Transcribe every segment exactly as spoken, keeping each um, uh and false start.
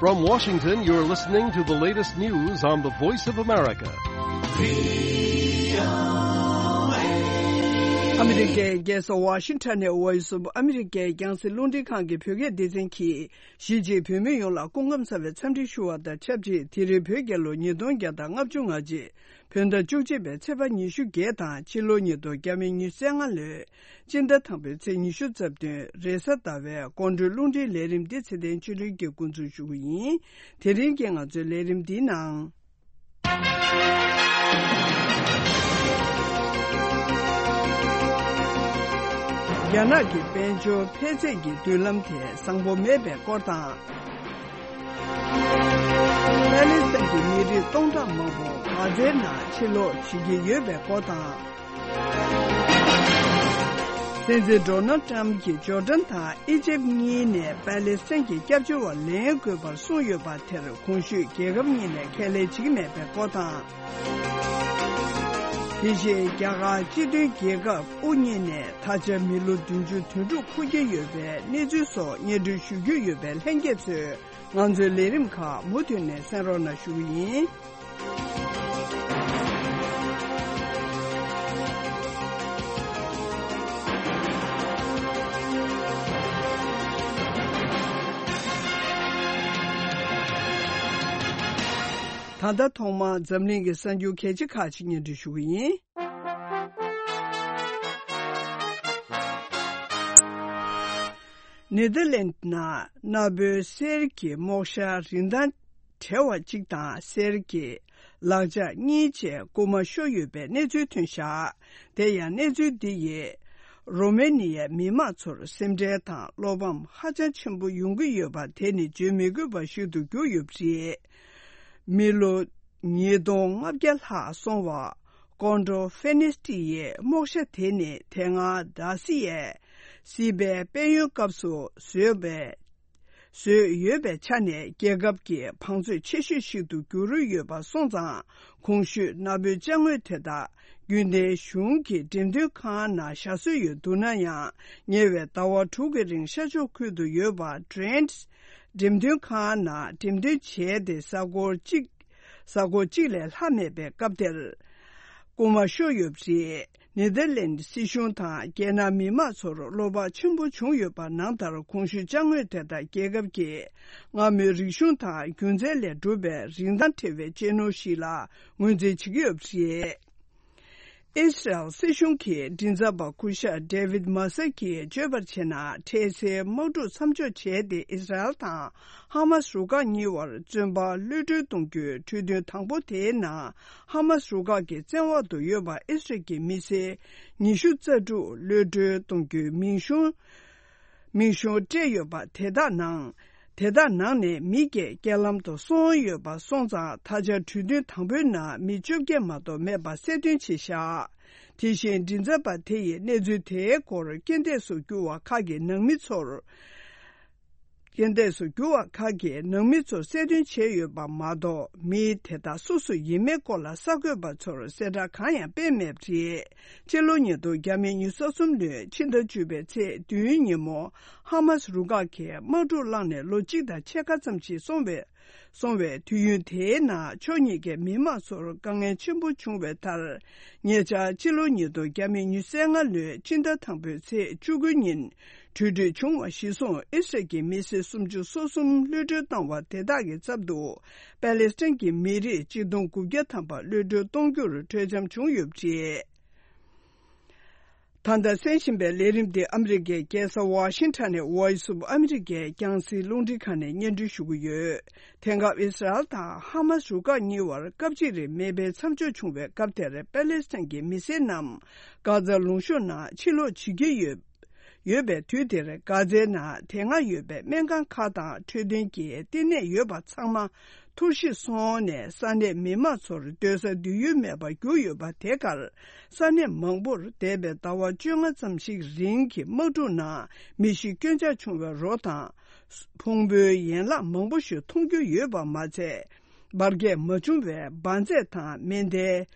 From Washington, you're listening to the latest news on the Voice of America. ཨ་མི་རི་ཀའི་རྒྱལ་ས་ཝ་ཤིང་ཊོན་ནས་Voice of America རྒྱང་སྲིང་རླུང་འཕྲིན་ཁང་གི་བོད་སྐད་སྡེ་ཚན་གྱིས། གཞིས་བྱེས་བོད་མི་ཡོངས་ལ་སྐུ་ཁམས་བཟང་བའི་འཚམས་འདྲི་ཞུ་བ་དང་ཆབས་ཅིག་དེ་རིང་བོད་རྒྱལ་ལོ་ཉིས་སྟོང་བརྒྱ་དང་ལྔ་བཅུ་ང་གཅིག་བོད་ཟླ་བཅུ་གཅིག་པའི་ཚེས་པ་ཉི་ཤུ་བརྒྱད་དང་ཕྱི་ལོ་ཉིས་སྟོང་ཉི་ཤུ་རྩ་ལྔ་ལོའི་སྤྱི་ཟླ་དང་པོའི་ཚེས་ཉི་ཤུ་རྩ་བདུན་རེས་གཟའ་ཟླ་བའི་དགོང་དྲོའི་རླུང་འཕྲིན་ལས་རིམ་འདི་ཚེ་བརྟན་ཆོས་སྒྲོན་གྱིས་འགོ་འཛུགས་ཞུ་གི་ཡིན། དེ་རིང་གི་ང་ཚོའི་ལས་རིམ་འདིའི་ནང་། རྒྱ་ནག་གི་དཔལ་འབྱོར་འཕེལ་ཚད་ཀྱི་མདུན་ལམ་དེ་བཟང་པོ་མེད་པའི་སྐོར་དང་། པ་ལི་སི་ཐན་གྱི་མི་རིགས་སྟོང་ཕྲག་མང་པོ་གྷ་ཛའི་ནང་ཕྱིར་ལོག་བྱེད་ཀྱི་ཡོད་པའི་སྐོར་དང་། སྲིད་འཛིན་ཌོ་ནལ་ཊམ་གྱིས་ཇོར་ཌན་དང་ཨི་ཇིབ་གཉིས་ནས་པ་ལི་སི་ཐན་གྱི་སྐྱབས་བཅོལ་བ་ལེན་དགོས་པར་གསུངས་ཡོད་པ་དེར་གོང་ཞུས་རྒྱལ་ཁབ་གཉིས་ནས་ཁས་ལེན་བྱེད་ཀྱི་མེད་པའི་སྐོར་དང་། དེ་བཞིན་རྒྱ་གར་སྤྱི་མཐུན་རྒྱལ་ཁབ་དབུ་བརྙེས་ནས་ད་ཆ་མི་ལོ་བདུན་ཅུ་དོན་དྲུག་འཁོར་གྱི་ཡོད་པའི་གནས་ཚུལ་སོགས་སྙན་སྒྲོན་ཞུ་རྒྱུ་ཡོད་པས་ལྷན་རྒྱས་ཚོས་ང་ཚོའི་ལས་རིམ་ཁག་མུ་མཐུད་ནས་གསན་རོགས་གནང་ཞུ་གི་ཡིན། ད་ལྟ་ཐོག་མར་འཛམ་གླིང་གི་གསར་འགྱུར་གལ་ཆེ་ཁག་ཅིག་སྙན་སྒྲོན་ཞུ་གི་ཡིན། ནེ་དར་ལེན་ནང་གནའ་བོའི་གསེར་གྱི་རྨོག་ཞྭ་རིན་ཐང་བྲལ་བ་གཅིག་དང་གསེར་གྱི་ལག་ཆ་གཉིས་བཅས་རྐུ་མ་ཤོར་ཡོད་པའི་གནས་ཚུལ་ཐོན་བཞག་དེ་ཡང་གནས་ཚུལ་འདི་ཡིས་རོ་མེ་ནི་ཡའི་མི་མང་ཚོར་སེམས་ཁྲལ་དང་བློ་ཕམ་ཧ་ཅང་ཆེན་པོ་ཡོང་གི་ཡོད་པ་དེ་ནི་བརྗོད་མི་དགོས་པ་ཞིག་ཏུ་གྱུར་ཡོད་པ་རེད། མི་ལོ་ཉིས་སྟོང་ལྔ་བརྒྱ་ལྷག་སོང་བ་ཀོན་ཌོ་ཕེ་ནེ་སི་ཊི་ཡི་རྨོག་ཞྭ་དེ་ནི་དེ་སྔ་ཌ་སི་ཡས་སྲིད་པའི་དཔལ་ཡོན་སྐབས་སུ་བཟོས་པའི་བཟོས་ཡོད་པའི་ཆ་ནས་རྒྱལ་ཁབ་ཀྱི་བང་མཛོད་ཆེ་ཤོས་ཤིག་ཏུ་གྱུར་ཡོད་པ་སོང་ཙང་། གོང་ཞུས་གནའ་བོའི་ཅ་དངོས་དེ་དག་རྒྱུན་ལྡན་གཞུང་གི་འགྲེམས་སྟོན་ཁང་ནང་བཞག་སྲོལ་ཡོད་འདུག་ན་ཡང་། ཉེ་བའི་ཟླ་བ་དྲུག་གི་རིང་ཤར་ཕྱོགས་ཁུལ་དུ་ཡོད་པ་ཌི་རེན་ཊི་འགྲེམས་སྟོན་ཁང་ནང་འགྲེམས་སྟོན་བྱས་ཏེ་གཟའ་འཁོར་གཅིག་གཟའ་འཁོར་གཅིག་ལས་ལྷག་མེད་པའི་སྐབས་དེར། རྐུ་མ་ཤོར་ཡོད་པ་རེད། ནེ་དར་ལེན་ཌི་སྲིད་གཞུང་དང་རྒྱལ་ནང་མི་མང་ཚོར་བློ་ཕམ་ཆེན་པོ་བྱུང་ཡོད་པ་ནང་ལྟར། གོང་ཞུས་ཅ་དངོས་དེ་དག་རྒྱལ་ཁབ་ཀྱི་སྔ་མོའི་རིག་གཞུང་དང་རྒྱུ་མཚན་ལས་གྲུབ་པའི་རིན་ཐང་བྲལ་བའི་གཅེས་ནོར་ཞིག་ལ་ངོས་འཛིན་བྱེད་ཀྱི་ཡོད་པ་རེད། ཨི་སི་རལ་སྲིད་གཞུང་གི་མགྲིན་ཚབ་པ་སྐུ་ཞབས་ཌེ་ཝིད་མ་སི་ཀིས་བརྗོད་པར་བྱས་ན། འཕྲལ་སེལ་དམག་འཁྲུག་མཚམས་འཇོག་བྱས་ཏེ། ཨི་སི་རལ་དང་ཧ་མ་སི་རུ་ཁག་གཉིས་བར་བཙོན་པ་གློད་གྲོལ་གཏོང་རྒྱུའི་གྲོས་མཐུན་དང་པོ་དེའི་ནང་། ཧ་མ་སི་རུ་ཁག་གི་བཙན་འོག་ཏུ་ཡོད་པ་ཨི་སི་རལ་གྱི་མི་སེར་ཉི་ཤུ་རྩ་དྲུག་གློད་གྲོལ་གཏོང་རྒྱུའི་མིང་གཞུང་། མིང་གཞུང་སྤྲད་ཡོད་པ་དེ་དག་ནང་། དེ་དག་ནང་ནས་མི་བརྒྱད་རྐྱེན་ལམ་དུ་སོང་ཡོད་པ་སོང་ཙང་། ད་ཆ་གྲོས་མཐུན་དང་པོའི་ནང་མི་བཅོ་བརྒྱད་མ་གཏོགས་མེད་པ་གསལ་སྟོན་བྱས་བཞག་དེ་བཞིན་མགྲིན་ཚབ་པ་དེ་ཡིས་གནས་ཚུལ་དེའི་སྐོར་རྐྱེན་འདས་སུ་གྱུར་བ་ཁག་གི་ནང་མི་ཚོར། རྐྱེན་འདས་སུ་གྱུར་བ་ཁག་གི་ནང་མི་ཚོར་གསལ་སྟོན་བྱས་ཡོད་པ་མ་གཏོགས། མི་དེ་དག་སུ་སུ་ཡིན་མིན་སྐོར་ལ་གསར་འགོད་པ་ཚོར་གསལ་བསྒྲགས་གང་ཡང་སྤེལ་མེད་པ་རེད། སྤྱི་ལོ་ཉིས་སྟོང་ཉི་ཤུ་རྩ་གསུམ་ལོའི་ཕྱི་ཟླ་བཅུ་པའི་ཚེས་བདུན་ཉིན་མོ། ཧ་མ་སི་རུ་ཁག་གིས་དམག་འཁྲུག་བསླངས་ནས་ལོ་གཅིག་དང་ཕྱེད་ཀ་ཙམ་ཞིག་སོང་བའི། སོང་བའི་དུས་ཡུན་དེའི་ནང་ཕྱོགས་གཉིས་ཀའི་མི་མང་ཚོར་དཀའ་ངལ་ཆེན་པོ་བྱུང་བའི་མཐར། ཉེ་ཆར་ཕྱི་ལོ་ཉིས་སྟོང་ཉི་ཤུ་རྩ་ལྔ་ལོའི་ཕྱི་ཟླ་དང་པོའི་ཚེས་བཅུ་དགུ་ཉིན། གྲོས་མཐུན་བྱུང་བ་གཞིར་བཟུང་། ཨི་སི་རལ་གྱི་མི་སེར་སུམ་ཅུ་སོ་གསུམ་གློད་གྲོལ་བཏང་བ་དེ་དག་གི་ཚབ་ཏུ། པ་ལེ་སི་ཐན་གྱི་མི་རིགས་གཅིག་སྟོང་དགུ་བརྒྱ་ཐམ་པ་གློད་གྲོལ་གཏོང་རྒྱུར་གྲོས་འཆམ་བྱུང་ཡོད་པ་རེད། ད་ལྟ་གསན་བཞིན་པའི་ལས་རིམ་འདི་ཨ་མི་རི་ཀའི་རྒྱལ་ས་ཝ་ཤིང་ཊོན་ནས་Voice of America རྒྱང་སྲིང་རླུང་འཕྲིན་ཁང་ནས་སྙན་སྒྲོན་ཞུ་གི་ཡོད། དེང་སྐབས་ཨི་སི་རལ་དང་ཧ་མ་སི་རུ་ཁག་གཉིས་བར་སྐབས་གཅིག་རིང་མེ་འཕེན་མཚམས་འཇོག་བྱུང་བའི་སྐབས་དེར། པ་ལེ་སི་ཐན་གྱི་མི་སེར་རྣམས་གྷ་ཛ་ལུང་གཤོང་ནང་ཕྱིར་ལོག་བྱེད་ཀྱི་ཡོད། ཡོད་པའི་དུས་དེར། གྷ་ཛའི་ནང་དེ་སྔ་ཡོད་པའི་སྨན་ཁང་ཁག་དང་འཕྲོད་བསྟེན་གྱི་བསྟི་གནས་ཡོད་པ་ཚང་མ་འཐོར་ཞིག་སོང་ནས། ས་གནས་མི་མང་ཚོར་སྡོད་ས་སྡོད་ཡུལ་མེད་པར་གྱུར་ཡོད་པ་དེ་གར། ས་གནས་མང་པོར་འདས་པའི་ཟླ་བ་བཅོ་ལྔ་ཙམ་ཞིག་རིང་གི་དམག་འཁྲུག་ནང་མི་ཤི་སྐྱོན་ཆག་བྱུང་བའི་རོ་དང་། ཕུང་པོའི་ཡན་ལག་མང་པོ་ཞིག་མཐོང་རྒྱུ་ཡོད་པ་མ་ཚད། འབར་གས་མ་བྱུང་བའི་འབར་རྫས་དང་མེ་མདའི་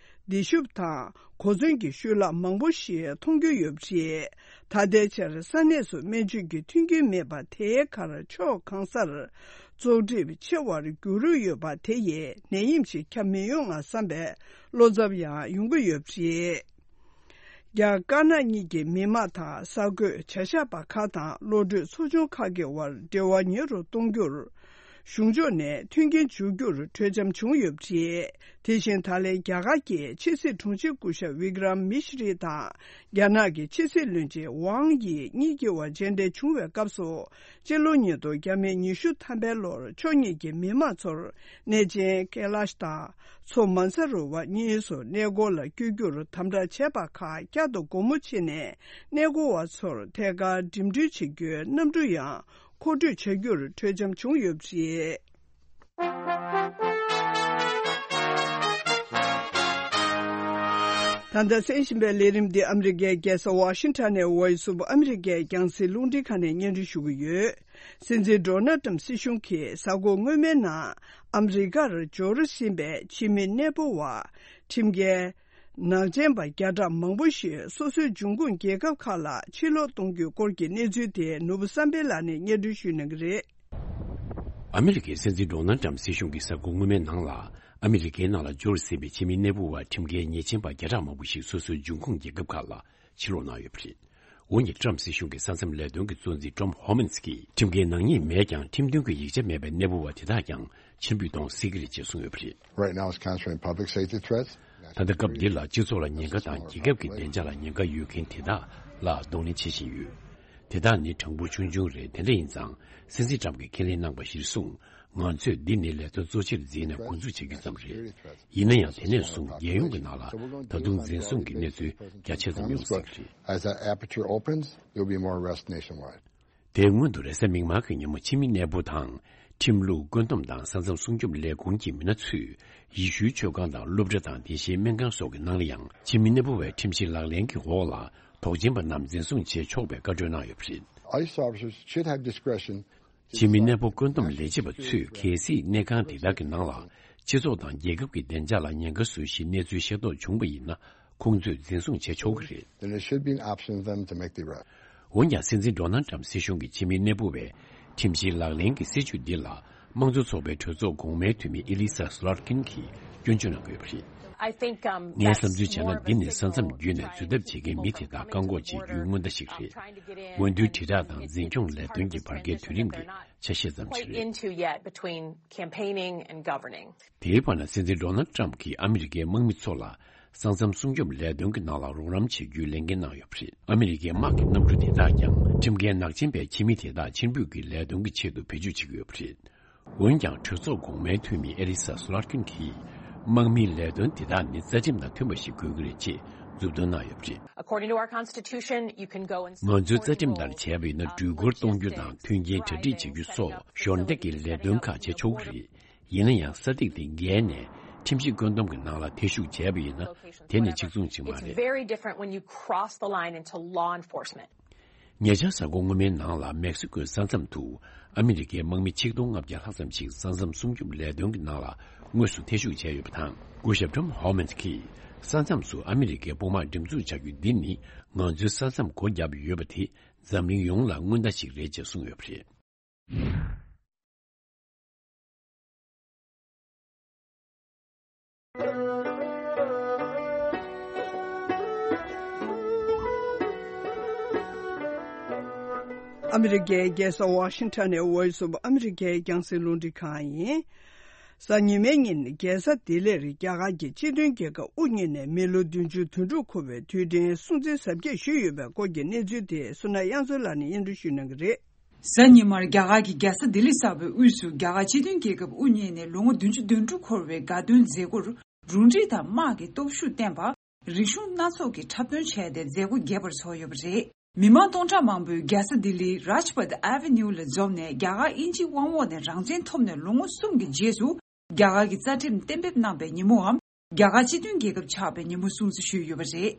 མདེ་ཤུབས་དང་གོ་མཚོན་གྱི་ཤུལ་ལྷག་མང་པོ་ཞིག་མཐོང་རྒྱུ་ཡོད་པ་རེད། ད་ལྟའི་ཆར་ས་གནས་སུ་སྨན་བཅོས་ཀྱི་མཐུན་རྐྱེན་མེད་པ་དེའི་ཁར། ཕྱོགས་གང་སར་ བཙོག་གྲིབ་ཆེ་བར་འགྱུར་རོགས་ཡོད་པ་དེ་ཡིས་ནད་ཡམས་ཤིག་ཁྱབ་མི་ཡོང་ང་བསམ་པའི་བློ་འཚབ་ཡང་ཡོང་གི་ཡོད་པ་རེད། རྒྱ་དཀར་ནག་གཉིས་ཀྱི་མི་དམངས་དང་གསར་འགོད་བྱ་གཞག་པ་ཁག་དང་བློ་གྲོས་ཚོགས་ཆུང་ཁག་གི་དབར་འབྲེལ་བ་ཉེ་རུ་གཏོང་རྒྱུར། གཞུང་ཕྱོགས་ནས་མཐུན་རྐྱེན་སྦྱོར་རྒྱུར་གྲོས་འཆམ་བྱུང་ཡོད་པ་རེད། དེ་བཞིན་ད་ལན་རྒྱ་གར་གྱི་ཕྱི་སྲིད་དྲུང་ཆེ་སྐུ་ཞབས་ཝི་ཀྲམ་མི་ཤི་རི་དང་རྒྱ་ནག་གི་ཕྱི་སྲིད་བློན་ཆེན་ཝང་ཡི་གཉིས་ཀྱི་དབར་མཇལ་འཕྲད་བྱུང་བའི་སྐབས་སུ། སྤྱི་ལོ་ཉིས་སྟོང་བརྒྱ་མེད་ཉི་ཤུ་ཐམ་པའི་ལོར་ཕྱོགས་གཉིས་ཀྱི་མི་དམངས་ཚོར་གནས་ཆེན་ཀེ་ལཱཤ་དང་མཚོ་མན་ས་རོ་བར་གཉིས་སུ་གནས་སྐོར་ལ་བསྐྱོད་རྒྱུར་དམ་དྲག་བྱས་པ་ཁག་བསྐྱར་དུ་སྒོ་མོ་ཕྱེ་ནས། གནས་སྐོར་བ་ཚོར་ཐད་ཀར་འགྲིམ་འགྲུལ་བྱེད་རྒྱུའི་གནམ་གྲུ་ཡང་མཁོ་སྤྲོད་བྱ་རྒྱུར་གྲོས་འཆམ་བྱུང་ཡོད་པ་རེད། ད་ལྟ་གསན་བཞིན་པའི་ལས་རིམ་འདི་ཨ་མི་རི་ཀའི་རྒྱལ་ས་ཝ་ཤིང་ཊོན་ནས་Voice of America་རྒྱང་སྲིང་རླུང་འཕྲིན་ཁང་ནས་སྙན་སྒྲོན་ཞུ་གི་ཡོད། སྲིད་འཛིན་ཌོ་ནལ་ཊམ་སྲིད་གཞུང་གིས་གཟའ་འཁོར་སྔོན་མའི་ནང་ཨ་མི་རི་ཀར་འབྱོར་ཟིན་པའི་ཕྱི་མི་གནས་སྤོ་བ་ཁྲིམས་འགལ། ནག་ཅན་པ་བརྒྱ་ཕྲག་མང་པོ་ཞིག་སོ་སོའི་འབྱུང་ཁུངས་རྒྱལ་ཁབ་ཁག་ལ་ཕྱིར་ལོག་གཏོང་རྒྱུའི་སྐོར་གྱི་གནས་ཚུལ་དེ་ནོར་བུ་བསམ་འཕེལ་ལགས་ནས་སྙན་སྒྲོན་ཞུ་གནང་གི་རེད། ཨ་མི་རི་ཀའི་སྲིད་འཛིན་ཌོ་ནལ་ཊམ་སྲིད་གཞུང་གིས་གཟའ་འཁོར་སྔོན་མའི་ནང་ལ་ཨ་མི་རི་ཀའི་ནང་ལ་འབྱོར་ཟིན་པའི་ཕྱི་མི་གནས་སྤོ་བ་ཁྲིམས་འགལ་ཉེས་ཅན་པ་བརྒྱ་ཕྲག་མང་པོ་ཞིག་སོ་སོའི་འབྱུང་ཁུངས་རྒྱལ་ཁབ་ཁག་ལ་ཕྱིར་ལོག་གནང་ཡོད་པ་རེད། འོན་ཀྱང་ཊམ་སྲིད་གཞུང་གི་ས་མཚམས་ལས་དོན་གྱི་གཙོ་འཛིན་ཊོམ་ཧོ་མན་སི་ཀྱིས་ཁྲིམས་འགལ་ནག་ཉེས་མེད་ཀྱང་ཁྲིམས་མཐུན་གྱི་ཡིག་ཆ་མེད་པའི་གནས་སྤོ་བ་དེ་དག་ཀྱང་ཕྱིར་འབུད་གཏོང་སྲིད་ཀྱི་རེད་ཅེས་གསུངས་ཡོད་པ་རེད། Right now, it's constituting public safety threats. ད་ལྟ་སྐབས་འདི་ལ་སྤྱི་ཚོགས་ལ་ཉེན་ཁ་དང་རྒྱལ་ཁབ་ཀྱི་བདེ་འཇགས་ལ་ཉེན་ཁ་ཡོད་མཁན་དེ་དག་ལ་གདོང་ལེན་བྱེད་བཞིན་ཡོད། དེ་དག་ནི་གྲངས་འབོར་ཆུང་ཆུང་རེད། དེ་འདྲ་ཡིན་ཙང་སྲིད་འཛིན་ཊམ་གྱིས་ཁས་ལེན་གནང་པ་གཞིར་བཟུང་ང་ཚོས་འདི་ནི་ལས་དོན་གཙོ་ཆེར་འཛིན་ནས་འགོ་འཛུགས་བྱེད་རྒྱུ་ཙམ་རེད། ཡིན་ན་ཡང་དེ་ནས་བཟུང་རྒྱལ་ཡོངས་ཀྱི་ནང་ལ་ད་དུང་འཛིན་བཟུང་གི་གནས་ཚུལ་རྒྱ་ཆེ་ཙམ་ཡོང་སྲིད་ཀྱི་རེད། As that aperture opens, there'll be more arrests nationwide. དེའི་སྔོན་དུ་རེས་གཟའ་མིག་དམར་གྱི་ཉིན་མོ་ཕྱི་མི་གནས་སྤོ་དང་། ཁྲིམས་ལུགས་བཀོད་འདོམས་དང་ས་མཚམས་སྲུང་སྐྱོབ་ལས་ཁུངས་ཀྱི་མི་སྣ་ཚོས་ཡེ་ཤུའི་ཆོས་ཁང་དང་སློབ་གྲྭ་དང་དེ་བཞིན་སྨན་ཁང་སོགས་ཀྱི་ནང་ལ་ཡང་ཕྱི་མི་གནས་སྤོ་བའི་ཁྲིམས་གཞི་ལག་ལེན་གྱི་འོག་ལ་དོགས་ཅན་པ་རྣམས་འཛིན་བཟུང་བྱེད་ཆོག་པའི་བཀའ་འཁྲོལ་གནང་ཡོད་པ་རེད། ICE officers should have discretion. ཕྱི་མི་གནས་སྤོ་བཀོད་འདོམས་ལས་བྱེད་པ་ཚོས་གལ་སྲིད་གནས་ཁང་དེ་དག་གི་ནང་ལ་སྤྱི་ཚོགས་དང་རྒྱལ་ཁབ་ཀྱི་བདེ་འཇགས་ལ་ཉེན་ཁ་བཟོ་གཞིའི་གནས་ཚུལ་ཤེས་རྟོགས་བྱུང་བ་ཡིན་ན། ཁོང་ཚོས་འཛིན་བཟུང་བྱེད་ཆོག་གི་རེད། Then it should be an option for them to make the arrest. འོན་ཀྱང་སྲིད་འཛིན་ཌོ་ནལ་ཊམ་སྲིད་གཞུང་གིས་ཕྱི་མི་གནས་སྤོ་བའི་ཁྲིམས་གཞིའི་ལག་ལེན་གྱི་སྲིད་བྱུས་འདི་ལ་དམངས་གཙོ་ཚོགས་པའི་གྲོས་ཚོགས་གོང་མའི་འཐུས་མི་ཨི་ལི་ས་སི་ལར་ཀིན་གྱིས་སྐྱོན་བརྗོད་གནང་གི་ཡོད་པ་རེད། I think, um, ངས་བསམ་ཚུལ་བྱས་ན། འདི་ནི་ས་མཚམས་བརྒྱུད་ནས་འཛུལ་ཐབས་བྱེད་མཁན་མི་དེ་དག་བཀག་འགོག་བྱེད་རྒྱུའི་སྔོན་བརྡ་ཞིག་རེད། འོས་བསྡུའི་དྲིལ་བསྒྲགས་དང་འཛིན་སྐྱོང་ལས་དོན་གྱི་བར་བརྒལ་དུས་རིམ་གྱི་ཆ་ཤས་ཙམ་ཞིག་རེད། Into yet between campaigning and governing. དེའི་བར་ན་སྲིད་འཛིན་ཌོ་ནལ་ཊམ་གྱིས་ཨ་མི་རི་ཀའི་དམག་མི་ཚོ་ལ་ས་མཚམས་སྲུང་སྐྱོབ་ལས་དོན་གྱི་ནང་ལ་རོགས་རམ་བྱེད་རྒྱུའི་ལས་འགན་གནང་ཡོད་པ་རེད། ཨ་མི་རི་ཀའི་དམག་གི་གནམ་གྲུ་དེ་དག་ཀྱང་ཁྲིམས་འགལ་ནག་ཅན་པའི་ཕྱི་མི་དེ་དག་ཕྱིར་འབུད་ཀྱི་ལས་དོན་གྱི་ཆེད་དུ་བེད་སྤྱོད་བྱེད་ཀྱི་ཡོད་པ་རེད། འོན་ཀྱང་གྲོས་ཚོགས་གོང་མའི་འཐུས་མི་ཨེ་ལི་ས་སུ་ལར་ཀིན་གྱིས་དམག་མིའི་ལས་དོན་དེ་དག་ནི་རྩ་ཁྲིམས་དང་མཐུན་པ་ཞིག་དགོས་ཀྱི་རེད་ཅེས་མཛུབ་སྟོན་གནང་ཡོད་པ་རེད། According to our Constitution, you can go and ང་ཚོའི་རྩ་ཁྲིམས་ལྟར་བྱས་པ་ཡིན་ན་འགྲུལ་འཁོར་གཏོང་རྒྱུ་དང་མཐུན་རྐྱེན་གྲ་སྒྲིག་བྱེད་རྒྱུ་སོགས་ཞོར་འདེགས་ཀྱི་ལས་དོན་ཁག་བྱེད་ཆོག་གི་རེད། ཡིན་ན་ཡང་ས་ཐིག་དེ་བརྒལ་ནས་ཁྲིམས་ཞིབ་བཀོད་འདོམས་ཀྱི་ནང་ལ་ཐེ་ཞུགས་བྱས་པ་ཡིན་ན་དེ་ནི་གཅིག་མཚུངས་ཅིག་མ་རེད། It's very different when you cross the line into law enforcement. ཉེ་ཆར་གཟའ་འཁོར་སྔོན་མའི་ནང་ལ་མེག་སི་ཀོའི་ས་མཚམས་དུ་ཨ་མི་རི་ཀའི་དམག་མི་ཆིག་སྟོང་ལྔ་བརྒྱ་ལྷག་ཙམ་ཞིག་ས་མཚམས་སྲུང་སྐྱོབ་ལས་དོན་གྱི་ནང་ལ་དངོས་སུ་ཐེ་ཞུགས་བྱས་ཡོད་པ་དང་། སྐུ་ཞབས་ཊོམ་ཧོ་མན་གྱིས་ས་མཚམས་སུ་ཨ་མི་རི་ཀའི་དཔུང་དམག་འགྲེམས་འཛུགས་བྱ་རྒྱུ་འདི་ནི་ང་ཚོའི་ས་མཚམས་སྒོ་བརྒྱབ་ཡོད་པ་དེ་འཛམ་གླིང་ཡོངས་ལ་སྔོན་བརྡ་ཞིག་རེད་ཅེས་གསུངས་ཡོད་པ་རེད། ཨ་མི་རི་ཀའི་རྒྱལ་ས་ཝ་ཤིང་ཊོན་ནས་Voice of America རྒྱང་སྲིང་རླུང་འཕྲིན་ཁང་ཡིན། གཟའ་ཉི་མའི་ཉིན་རྒྱལ་ས་ལྡི་ལིར་རྒྱ་གར་གྱི་སྤྱི་མཐུན་རྒྱལ་ཁབ་དབུ་བརྙེས་ནས་མི་ལོ་བདུན་ཅུ་དོན་དྲུག་འཁོར་བའི་དུས་དྲན་སྲུང་བརྩི་གཟབ་རྒྱས་ཞུས་ཡོད་པའི་སྐོར་གྱི་གནས་ཚུལ་དེ་བསོད་ནམས་དབྱངས་མཚོ་ལགས་ནས་སྙན་སྒྲོན་ཞུ་གནང་གི་རེད། གཟའ་ཉི་མར་རྒྱ་གར་གྱི་རྒྱལ་ས་ལྡི་ལི་གསར་པའི་དབུས་སུ་རྒྱ་གར་སྤྱི་མཐུན་རྒྱལ་ཁབ་དབུ་བརྙེས་ནས་ལོ་ངོ་བདུན་ཅུ་དོན་དྲུག་འཁོར་བའི་དགའ་སྟོན་མཛད་སྒོར་རུ་སྒྲིག་དང་དམག་གི་སྟོབས་ཤུགས་བསྟན་པ། རིག་གཞུང་སྣ་ཚོགས་ཀྱི་འཁྲབ་སྟོན་བྱས་ཏེ་མཛད་སྒོ་རྒྱས་པར་བྱུང་ཡོད་པ་རེད། མི་མང་སྟོང་ཕྲག་མང་པོས་རྒྱལ་ས་ལྡི་ལིའི་Rajpath Avenue ལ་འཛོམས་ནས་རྒྱ་གར་དབྱིན་ཇིའི་དབང་འོག་ནས་རང་བཙན་ཐོབ་ནས་ལོ་ངོ་གསུམ་གྱི་རྗེས་སུ་རྒྱ་གར་གྱི་རྩ་ཁྲིམས་གཏན་འབེབས་གནང་པའི་ཉིན་མོའམ་རྒྱ་གར་སྤྱི་མཐུན་རྒྱལ་ཁབ་ཆགས་པའི་ཉིན་མོ་སྲུང་བརྩི་ཞུས་ཡོད་པ་རེད།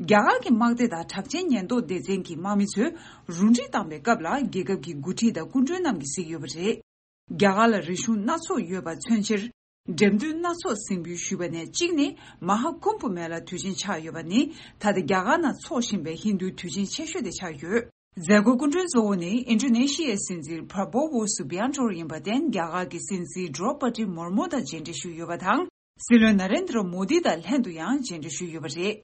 རྒྱ་གར་གྱི་དམག་སྡེ་དང་གྲགས་ཅན་ཉེན་རྟོག་སྡེ་ཚན་གྱི་དམག་མི་ཚོས་རུ་སྒྲིག་བཏང་པའི་སྐབས་ལ་རྒྱལ་ཁབ་ཀྱི་འགོ་ཁྲིད་དང་སྐུ་མགྲོན་རྣམས་ཀྱིས་གཟིགས་ཡོད་པ་རེད། རྒྱ་གར་ལ་རིག་གཞུང་སྣ་ཚོགས་ཡོད་པ་མཚོན་ཕྱིར། འགྲེམས་སྟོན་སྣ་ཚོགས་གཟིགས་འབུལ་ཞུས་པ་ནས་གཅིག་ནི་མ་ཧཱ་ཀུམ་བྷ་མེ་ལ་དུས་ཆེན་ཆགས་ཡོད་པ་ནི་ད་ལྟ་རྒྱ་གར་ནང་འཚོགས་བཞིན་པའི་ཧིན་རྡུའི་དུས་ཆེན་ཆེ་ཤོས་དེ་ཆགས་ཡོད། མཛད་སྒོའི་སྐུ་མགྲོན་གཙོ་བོ་ནི་ཨིན་ཌོ་ནེ་ཤི་ཡའི་སྲིད་འཛིན་པྲ་བོ་ཝོ་སུ་བི་ཡན་ཊོ་ཡིན་པར་བརྟེན། རྒྱ་གར་གྱི་སྲིད་འཛིན་ཌྲོ་པ་ཏི་མུར་མུ་དང་མཇལ་འཕྲད་ཞུས་ཡོད་པ་དང་། སྲིད་བློན་ན་རེན་དྲ་མོ་དི་དང་ལྷན་དུ་ཡང་མཇལ་འཕྲད་ཞུས་ཡོད་པ་རེད།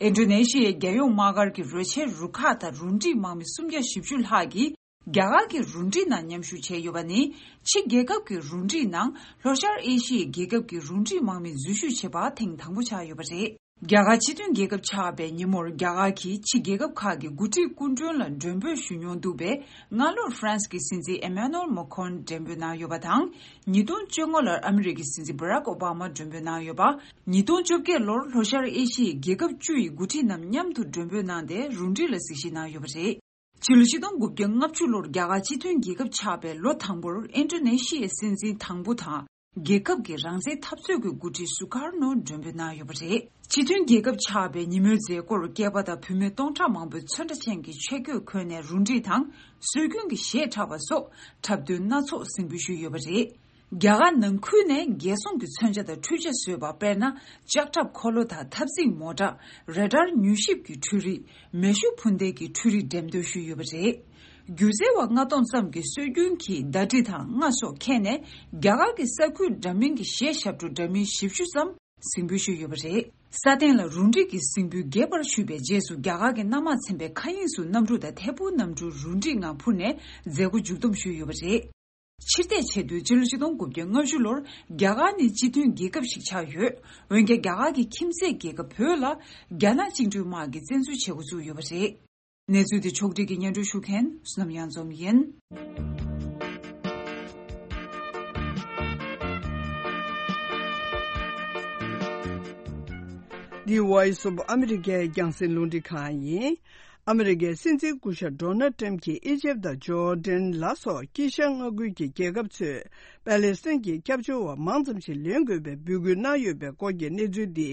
ཨིན་ཌོ་ནེ་ཤི་ཡའི་རྒྱལ་ཡོངས་དམག་སྒར་གྱི་རོལ་ཆའི་རུ་ཁག་དང་རུ་འགྲིག་དམག་མི་སུམ་བརྒྱ་བཞི་བཅུ་ལྷག་གིས་རྒྱ་གར་གྱི་རུ་འགྲིག་ནང་མཉམ་ཞུགས་བྱས་ཡོད་པ་ནི། ཕྱི་རྒྱལ་ཁབ་ཀྱི་རུ་འགྲིག་ནང་ལྷོ་ཤར་ཨེ་ཤི་ཡའི་རྒྱལ་ཁབ་ཀྱི་རུ་འགྲིག་དམག་མི་འཛུལ་ཞུགས་བྱས་པ་ཐེངས་དང་པོ་ཆགས་ཡོད་པ་རེད། རྒྱ་གར་སྤྱི་མཐུན་རྒྱལ་ཁབ་ཆགས་པའི་ཉིན་མོར། རྒྱ་གར་གྱི་ཕྱི་རྒྱལ་ཁབ་ཁག་གི་འགོ་ཁྲིད་སྐུ་མགྲོན་ལ་མགྲོན་འབོད་ཞུ་མྱོང་འདུག་པས། སྔ་ལོར་ཧྥ་རན་སི་གི་སྲིད་འཛིན་ཨེ་མ་ནུ་ཨེལ་མེ་ཁོན་མགྲོན་འབོད་གནང་ཡོད་པ་དང་། ཉིས་སྟོང་བཅོ་ལྔ་ལོར་ཨ་མི་རི་ཀའི་སྲིད་འཛིན་བྷ་རག་ཨོ་བྷ་མ་མགྲོན་འབོད་གནང་ཡོད་པ། ཉིས་སྟོང་བཅོ་བརྒྱད་ལོར་ལྷོ་ཤར་ཨེ་ཤི་ཡའི་རྒྱལ་ཁབ་བཅུ་ཡི་འགོ་ཁྲིད་རྣམས་མཉམ་དུ་མགྲོན་འབོད་གནང་སྟེ། རུ་འགྲིག་ལ་གཟིགས་ཞིབ་གནང་ཡོད་པ་རེད། ཕྱི་ལོ་ཆིག་སྟོང་དགུ་བརྒྱ་ལྔ་བཅུ་ལོར་རྒྱ་གར་སྤྱི་མཐུན་རྒྱལ་ཁབ་ཆགས་པའི་ལོ་དང་པོར། ཨིན་ཌོ་ནེ་ཤི་ཡའི་སྲིད་འཛིན་དང་པོ་དང་། རྒྱལ་ཁབ་ཀྱི་རང་བཙན་འཐབ་རྩོད་ཀྱི་འགོ་ཁྲིད་སུ་ཀར་ནོ་མགྲོན་འབོད་གནང་ཡོད་པ་རེད། སྤྱི་མཐུན་རྒྱལ་ཁབ་ཆགས་པའི་ཉིན་མོའི་མཛད་སྒོར། སྐྱེས་པ་དང་བུད་མེད་སྟོང་ཕྲག་མང་པོས་ཚོན་ཁྲ་ཅན་གྱི་ཆས་གོས་གོན་ནས་རུ་འགྲིག་དང་། སྲོལ་རྒྱུན་གྱི་གཞས་འཁྲབ་པ་སོགས་འཁྲབ་སྟོན་སྣ་ཚོགས་གཟིགས་འབུལ་ཞུས་ཡོད་པ་རེད། རྒྱ་གར་ནང་ཁུལ་ནས་རྒྱལ་སྲུང་གི་མཚོན་ཆ་དང་འཕྲུལ་ཆས་བཟོས་པ། དཔེར་ན། ལྕགས་ཁྲབ་འཁོར་ལོ་དང་། འཐབ་འཛིང་མོ་ཊ། རེ་ཌར་མྱུལ་ཞིབ་ཀྱི་འཕྲུལ་རིག་མེ་ཤུགས་འཕུར་མདེལ་གྱི་འཕྲུལ་རིག་འགྲེམས་སྟོན་ཞུས་ཡོད་པ་རེད། སྒྱུ་རྩལ་བ་ལྔ་སྟོང་ཙམ་གྱིས་སྲོལ་རྒྱུན་གྱི་ཟླ་སྒྲིལ་དང་རྔ་སོགས་ཁྱེར་ནས། རྒྱ་གར་གྱི་ས་ཁུལ་འདྲ་མིན་གྱི་གཞས་ཞབས་བྲོ་འདྲ་མིན་བཞི་བཅུ་ཙམ་གཟིགས་འབུལ་ཞུས་ཡོད་པ་རེད། ས་སྟེང་ལ་རུ་འགྲིག་གི་གཟིགས་འབུལ་རྒྱས་པར་ཞུས་པའི་རྗེས་སུ། རྒྱ་གར་གྱི་གནམ་དམག་ཚན་པའི་མཁའ་དབྱིངས་སུ་གནམ་གྲུ་དང་ཐད་འཕུར་གནམ་གྲུ་རུ་འགྲིག་ངང་འཕུར་ནས་མཛད་སྒོ་མཇུག་བསྡོམས་ཞུས་ཡོད་པ་རེད། ཕྱིར་བལྟས་བྱས་དུས། སྤྱི་ལོ་ཆིག་སྟོང་དགུ་བརྒྱ་ལྔ་བཅུ་ལོར་རྒྱ་གར་ནི་སྤྱི་མཐུན་རྒྱལ་ཁབ་ཞིག་ཆགས་ཡོད། འོན་ཀྱང་། རྒྱ་གར་གྱི་ཁྱིམ་མཚེས་རྒྱལ་ཁབ་བོད་ལ་རྒྱ་ནག་བཅིངས་འགྲོལ་དམག་གིས་བཙན་འཛུལ་བྱེད་འགོ་བཙུགས་ཡོད་པ་རེད། གནས་ཚུལ་དེ་ཕྱོགས་སྒྲིག་གིས་སྙན་སྒྲོན་ཞུ་མཁན་བསོད་ནམས་གཡང་འཛོམས་ཡིན། འདི་Voice of America་རྒྱང་སྲིང་རླུང་འཕྲིན་ཁང་ཡིན། ཨ་མི་རི་ཀའི་སྲིད་འཛིན་སྐུ་ཞབས་ཌོ་ནལ་ཊམ་གྱིས་ཨི་ཇེབ་དང་ཇོར་ཌན་ལ་སོགས་དཀྱིལ་ཤར་མངའ་ཁུལ་གྱི་རྒྱལ་ཁབ་ཚོས་པ་ལེ་སི་ཐན་གྱི་སྐྱབས་བཅོལ་བ་མང་ཙམ་ཞིག་ལེན་དགོས་པའི་འབོད་སྐུལ་གནང་ཡོད་པའི་སྐོར་གྱི་གནས་ཚུལ་འདི་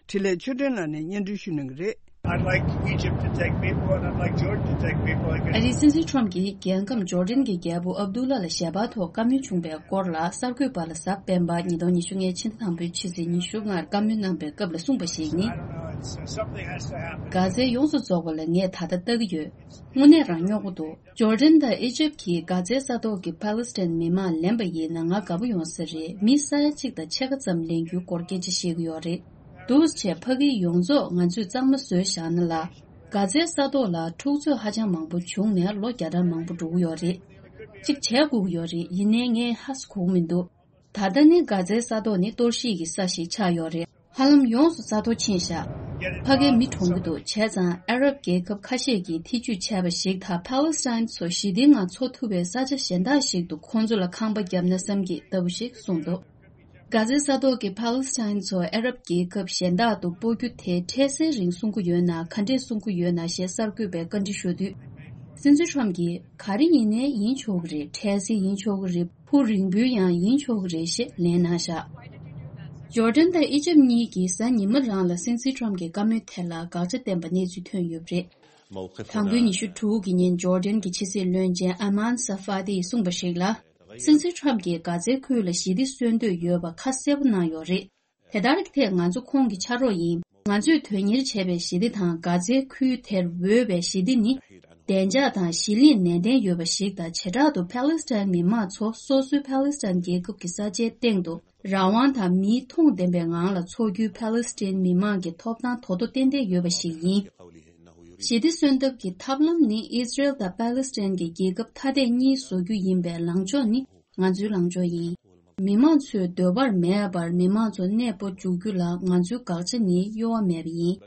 འཕྲིན་ལས་ཆོས་སྒྲོན་ལགས་ནས་སྙན་སྒྲོན་ཞུ་གནང་གི་རེད། I'd like Egypt to take people and I'd like Jordan to take people. I guess ཨ་རིའི་སྲིད་འཛིན་ཊམ་གྱིས་རྒྱལ་ཁམས་ཇོར་ཌན་གྱི་རྒྱལ་པོ་ཨབ་དུ་ལ་ལ་ཞལ་པར་ཐོག་བཀའ་མོལ་བྱུང་བའི་སྐོར་ལ། གསར་འགོད་པ་ལ་གཟའ་སྤེན་པ་ཉིས་སྟོང་ཉི་ཤུ་ལྔའི་ཕྱི་ཟླ་དང་པོའི་ཕྱི་ཚེས་ཉི་ཤུ་ལྔར་བཀའ་མོལ་གནང་པའི་སྐབས་ལ་གསུངས་པ་ཞིག་ནི། I don't know, it's, uh, something has to happen. གྷ་ཛའི་ཡོངས་སུ་རྫོགས་པ་ལ་ངས་ད་ལྟ་ལྟ་གི་ཡོད། དངོས་གནས་རང་སྨྱོ་པོ་འདུག་ཇོར་ཌན་དང་ཨི་ཇིབ་ཀྱིས་གྷ་ཛའི་ས་ཐོག་གི་པ་ལི་སི་ཐན་མི་མང་ལེན་པ་ཡིན་ན་ང་དགའ་པོ་ཡོང་ས་རེད། མི་ས་ཡ་གཅིག་དང་ཕྱེད་ཀ་ཙམ་ལེན་རྒྱུའི་སྐོར་སྐད་ཆ་བཤད་ཀྱི་ཡོད་རེད། འདུག་བྱས་ཕ་གི་ཡོངས་རྫོགས་ང་ཚོས་གཙང་མ་བཟོས་བཞག་ན་ལ། གྷ་ཛའི་ས་ཐོག་ལ་འཁྲུག་རྩོད་ཧ་ཅང་མང་པོ་བྱུང་ནས་ལོ་བརྒྱ་ཕྲག་མང་པོ་འགྲོ་གི་ཡོད་རེད། གཅིག་བྱས་དགོས་ཀྱི་ཡོད་རེད། ཡིན་ནའི་ངས་ཧ་སི་གོ་གི་མི་འདུག་ད་ལྟ་ནི་གྷ་ཛའི་ས་ཐོག་ནི་གཏོར་བཤིག་གི་ས་ཞིག་ཆགས་ཡོད་རེད། ཧ་ལམ་ཡོངས་སུ་ས་རྡོ་ཕྱིན་བཞག་ཕ་གིར་མི་གྲོངས་ཀྱི་འདུག་བྱས་ཙང་ཨ་རབ་རྒྱལ་ཁབ་ཁ་ཤས་ཀྱིས་ཐེ་ཇུས་བྱས་པ་ཞིག་དང་། པ་ལེ་སི་ཐན་ཚོ་ཞི་བདེའི་ངང་འཚོ་ཐུབ་པའི་ས་ཆ་གཞན་དག་ཞིག་ཏུ་ཁོང་ཚོ་ལ་ཁང་པ་བརྒྱབ་ན་བསམ་གྱི་ལྟ་བུ་ཞིག་གསུངས་འདུག་གྷ་ཛའི་ས་ཐོག་གི་པ་ལེ་སི་ཐན་ཚོ་ཨ་རབ་རྒྱལ་ཁབ་གཞན་དག་ཏུ་སྤོ་རྒྱུ་དེ་འཕྲལ་སེལ་རིང་སྲུང་གི་ཡོད་ན་ག་འདྲས་སྲུང་གི་ཡོད་ན་ཞེས་གསར་འགོད་པས་བཀའ་འདྲི་ཞུ་དུས། སྲིད་འཛིན་ཊམ་གྱིས་ག་རེ་ཡིན་ནའི་ཡིན་ཆོག་གི་རེད། འཕྲལ་སེལ་ཡིན་ཆོག་གི་རེད། འཕུར་རིང་པོའི་ཡང་ཡིན་ཆོག་གི་རེད་ཞེས་ལན་གནང་བཞག་ཇོར་ཌན་དང་ཨི་ཇིབ་གཉིས་ཀྱིས་གཟའ་ཉི་མ་རང་ལ་སྲིད་འཛིན་ཊམ་གྱི་བཀའ་མོལ་དེ་ལ་དགག་བྱ་བསྟན་པ་གནས་ཚུལ་ཐོན་ཡོད་པ་རེད། དང་པོའི་ཉི་ཤུ་དྲུག་གི་ཉིན་ཇོར་ཌན་གྱི་ཕྱི་སྲིད་བློན་ཆེན་ཨ་མན་ས་ཧྥ་ཏིས་གསུངས་པ་ཞིག་ལ། སྲིད་འཛིན་ཊམ་གྱིས་གྷ་ཛའི་ཁུལ་ལ་ཞི་བདེ་གསོན་འདོད་ཡོད་པ་ཁ་གསལ་པོ་གནང་ཡོད་རེད། དེ་ལྟར་གྱི་ཐད་ང་ཚོ་ཁོང་གི་ཕྱག་རོགས་ཡིན། ང་ཚོས་དོན་གཉེར་བྱས་པའི་ཞི་བདེ་དང་གྷ་ཛའི་ཁུལ་དེར་འོས་པའི་ཞི་བདེ་ནི། བདེ་འཇགས་དང་གཞི་གླིང་ནན་ཏན་ཡོད་པ་ཞིག་དང་། བྱེ་བྲག་ཏུ་པ་ལེ་སི་ཐན་མི་མང་ཚོ་སོ་སོའི་པ་ལེ་སི་ཐན་རྒྱལ་ཁབ་ཀྱི་ས་ཆའི་སྟེང་དུ་རང་དབང་དང་མིའི་མཐོང་ལྡན་པའི་ངང་ལ་འཚོ་རྒྱུའི་པ་ལེ་སི་ཐན་མི་མང་གི་ཐོབ་ཐང་དོ་དོ་ཏན་ཏན་ཡོད་པ་ཞིག་ཡིན། ཞི་བདེ་གསོན་ཐབས་ཀྱི་ཐབས་ལམ་ནི་ཨི་ཟི་རེལ་དང་པ་ལེ་སི་ཐན་གྱི་རྒྱལ་ཁབ་ཐ་དད་གཉིས་བཟོ་རྒྱུ་ཡིན་པའི་ལངས་ཕྱོགས་ནི། ང་ཚོའི་ལངས་ཕྱོགས་ཡིན། མི་མང་ཚོས་འདོད་པར་མེད་པར་མི་མང་ཚོ་གནས་སྤོ་འཇུག་རྒྱུ་ལ་ང་ཚོའི་དགག་བྱ་ནི་གཡོ་བ་མེད་པ་ཡིན།